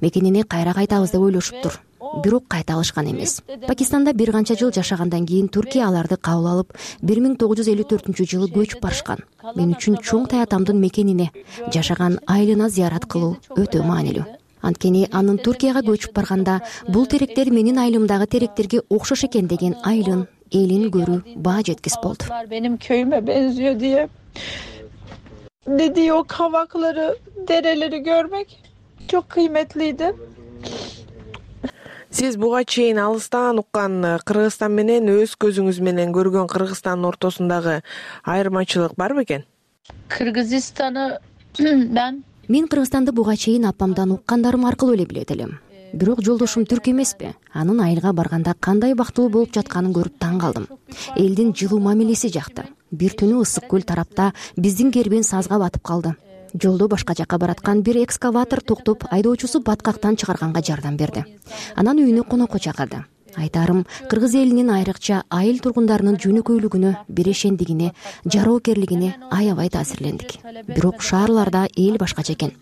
Speaker 9: Мекенине кайра кайтабыз деп ойлошуптур. Бирок кайта алышкан эмес. Пакистанда бир канча жыл жашагандан кийин Түркия аларды кабыл алып, бир миң тогуз жүз элүү төртүнчү жылы көчүп барышкан. Мен үчүн чоң таятамдын мекенине, жашаган айылына зыярат кылуу өтө маанилүү. Анткени анын Түркияга көчүп барганда бул теректер менин айылымдагы теректерге окшош экен деген айылын, элин көрүү баа жеткис болду.
Speaker 8: Benim köyüme benziyor diye dediği o kavakları, dereleri görmek çok kıymetliydi.
Speaker 2: Сиз буга чейин алыстан уккан Кыргызстан менен өз көзүңүз менен көргөн Кыргызстандын ортосундагы айырмачылык барбы экен?
Speaker 8: Kırgızistan'ı ben
Speaker 9: Мен Кыргызстанды буга чейин апамдан уккандарым аркылуу эле билет элем. Бирок жолдошум түрк эмеспи? Анын айылга барганда кандай бактылуу болуп жатканын көрүп таң калдым. Элдин жылуу мамилеси жакты. Бир түнү ысык көл тарапта биздин кербен сазга батып калды. Жолдо башка жакка бараткан бир экскаватор токтоп, айдоочусу баткактан чыгарганга жардам берди. Анан үйүнө конокко чакырды. Айтарым, кыргыз элинин айрыкча айыл тургундарынын жөнөкөйлүгүнө, бирешендигине, жароокерлигине аябай таасирлендик. Бирок шаарларда эл башкача экен.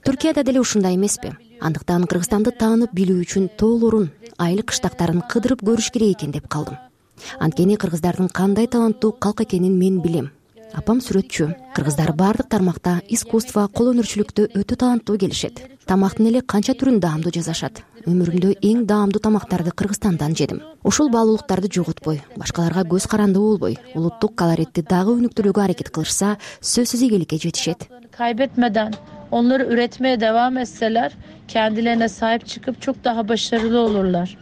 Speaker 9: Түркияда деле ушундай эмеспи? Андыктан Кыргызстанды таанып билүү үчүн тоолорун, айыл кыштактарын кыдырып көрүш керек экен деп калдым. Анткени кыргыздардын кандай таланттуу калк экенин мен билем. Апам сүрөтчү. Кыргыздар бардык тармакта искусство, кол өнөрчүлүктө өтө таланттуу келишет. Тамактын эле канча түрүн даамдуу жасашат. Өмүрүмдө эң даамдуу тамактарды Кыргызстандан жедим. Ушул баалуулуктарды жоготпой, башкаларга көз карандуу болбой, улуттук колоритти дагы өнүктүрүүгө аракет кылышса, сөзсүз ийгиликке жетишет.
Speaker 8: Kaybetmeden onları üretmeye devam etseler kendilerine sahip çıkıp çok daha başarılı olurlar.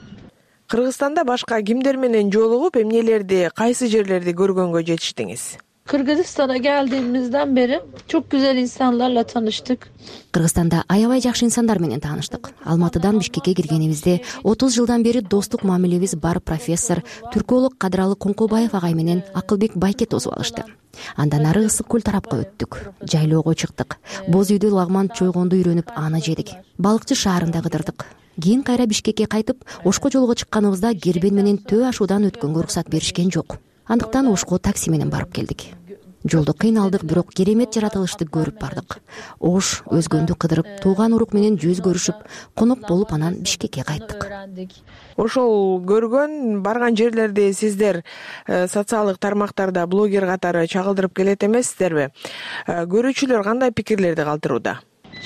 Speaker 2: Кыргызстанда башка кимдер менен жолугуп, эмнелерди, кайсы жерлерди көргөнгө жетиштиңиz?
Speaker 8: Kırgızistan'a geldiğimizden beri çok güzel insanlarla tanıştık.
Speaker 9: Кыргызстанда аябай жакшы инсандар менен тааныштык. Алматыдан Бишкекке киргенибизде отуз жылдан бери достук мамилебиз бар профессор, түрколог Кадыралы Коңкобаев агай менен Акылбек Байке тосуп алышты. Андан ары ысык көл тарапка өттүк. Жайлоого чыктык. Боз үйдө лагман чойгонду үйрөнүп аны жедик. Балыкчы шаарында кыдырдык. Кийин кайра Бишкекке кайтып, Ошко жолго чыкканыбызда кербен менен Төө ашуудан өткөнгө уруксат беришкен жок. Андыктан Ошко такси менен барып келдик. Жолдо кыйналдык, бирок керемет жаратылышты көрүп бардык. Ош өзгөндү кыдырып, тууган урук менен жүз көрүшүп, конок болуп анан Бишкекке кайттык.
Speaker 2: Ошол көргөн, барган жерлерди сиздер социалдык тармактарда блогер катары чагылдырып келет эмессиздерби? Көрүүчүлөр кандай пикирлерди калтырууда?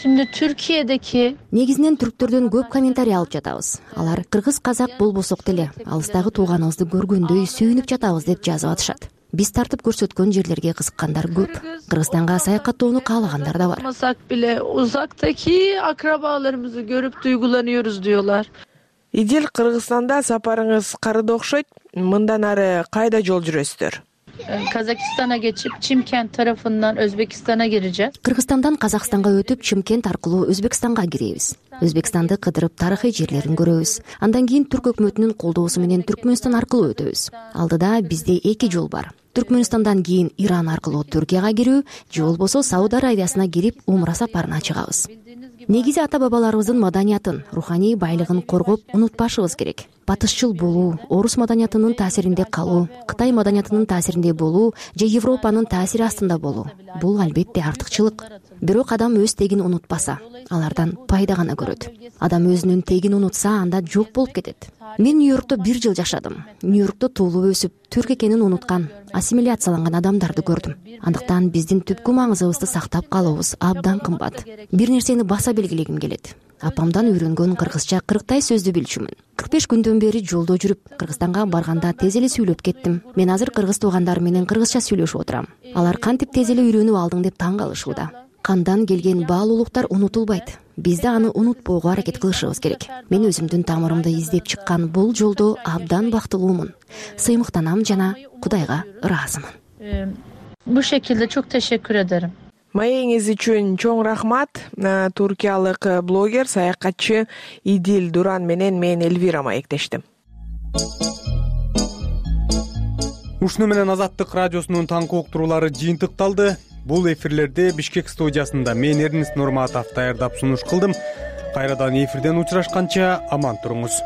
Speaker 8: Şimdi Türkiye'deki
Speaker 9: негизинен түрктөрдөн көп комментарий алып жатабыз. Алар кыргыз казак болбосок деле алыстагы тууганыбызды көргөндөй сүйүнүп жатабыз деп жазып атышат. Биз тартып көрсөткөн жерлерге кызыккандар көп. Кыргызстанга саякаттоону каалагандар да бар.
Speaker 8: Olmasak bile uzaktaki akrabalarımızı görüp duygulanıyoruz diyorlar.
Speaker 2: Идил, Кыргызстанда сапарыңыз карыды окшойт. Мындан ары кайда жол жүрөсүздөр?
Speaker 8: Kazakistan'a geçip Çimkent tarafından Özbekistan'a gireceğiz.
Speaker 9: Кыргызстандан Казакстанга өтүп, Чимкент аркылуу Өзбекстанга киребиз. Өзбекстанды кыдырып, тарыхый жерлерин көрөбүз. Андан кийин Түрк өкмөтүнүн колдоосу менен Түркмөнстан аркылуу өтөбүз. Алдыда бизде эки жол бар. Түркмөнстандан кийин Иран аркылуу Түркияга кирүү, же болбосо Сауд Аравиясына кирип, умра сапарына чыгабыз. негизи ата бабаларыбыздын маданиятын, руханий байлыгын коргоп унутпашыбыз керек. Батышчыл болуу, орус маданиятынын таасиринде калуу, Кытай маданиятынын таасиринде болуу же Европанын таасири астында болуу — бул албетте артыкчылык. Бирок адам өз тегин унутпаса, алардан пайда гана көрөт. Адам өзүнүн тегин унутса, анда жок болуп кетет. Мен Нью-Йоркто бир жыл жашадым. Нью-Йоркто туулуп өсүп, түрк экенин унуткан, ассимиляцияланган адамдарды көрдүм. Андыктан биздин түпкү маңызыбызды сактап калуубуз абдан кымбат. Бир нерсени баса белгилегим келет. Апамдан үйрөнгөн кыргызча кырктай сөздү билчүмүн. кырк беш күндөн бери жолдо жүрүп, Кыргызстанга барганда тез эле сүйлөп кеттим. Мен азыр кыргыз туугандарым менен кыргызча сүйлөшүп отурам. Алар кантип тез эле үйрөнүп алдың деп таң калышууда. Кандан келген баалуулуктар унутулбайт. Бизде аны унутпоого аракет кылышыбыз керек. Мен өзүмдүн тамырымды издеп чыккан бул жолдо абдан бактылуумун. Сыймыктанам жана Кудайга ыраазымын.
Speaker 8: Bu şekilde çok teşekkür ederim.
Speaker 2: Маегиңиз үчүн чоң рахмат. Туркиялык блогер, саякатчы Идил Дуран менен мен Элвира маектештим.
Speaker 1: Ушуну менен Азаттык радиосунун таңкы уктуруулары жыйынтыкталды. Бул эфирлерде Бишкек студиясында мен Эрнест Нурматов даярдап сунуш кылдым. Кайрадан эфирден учурашканча аман туруңуз.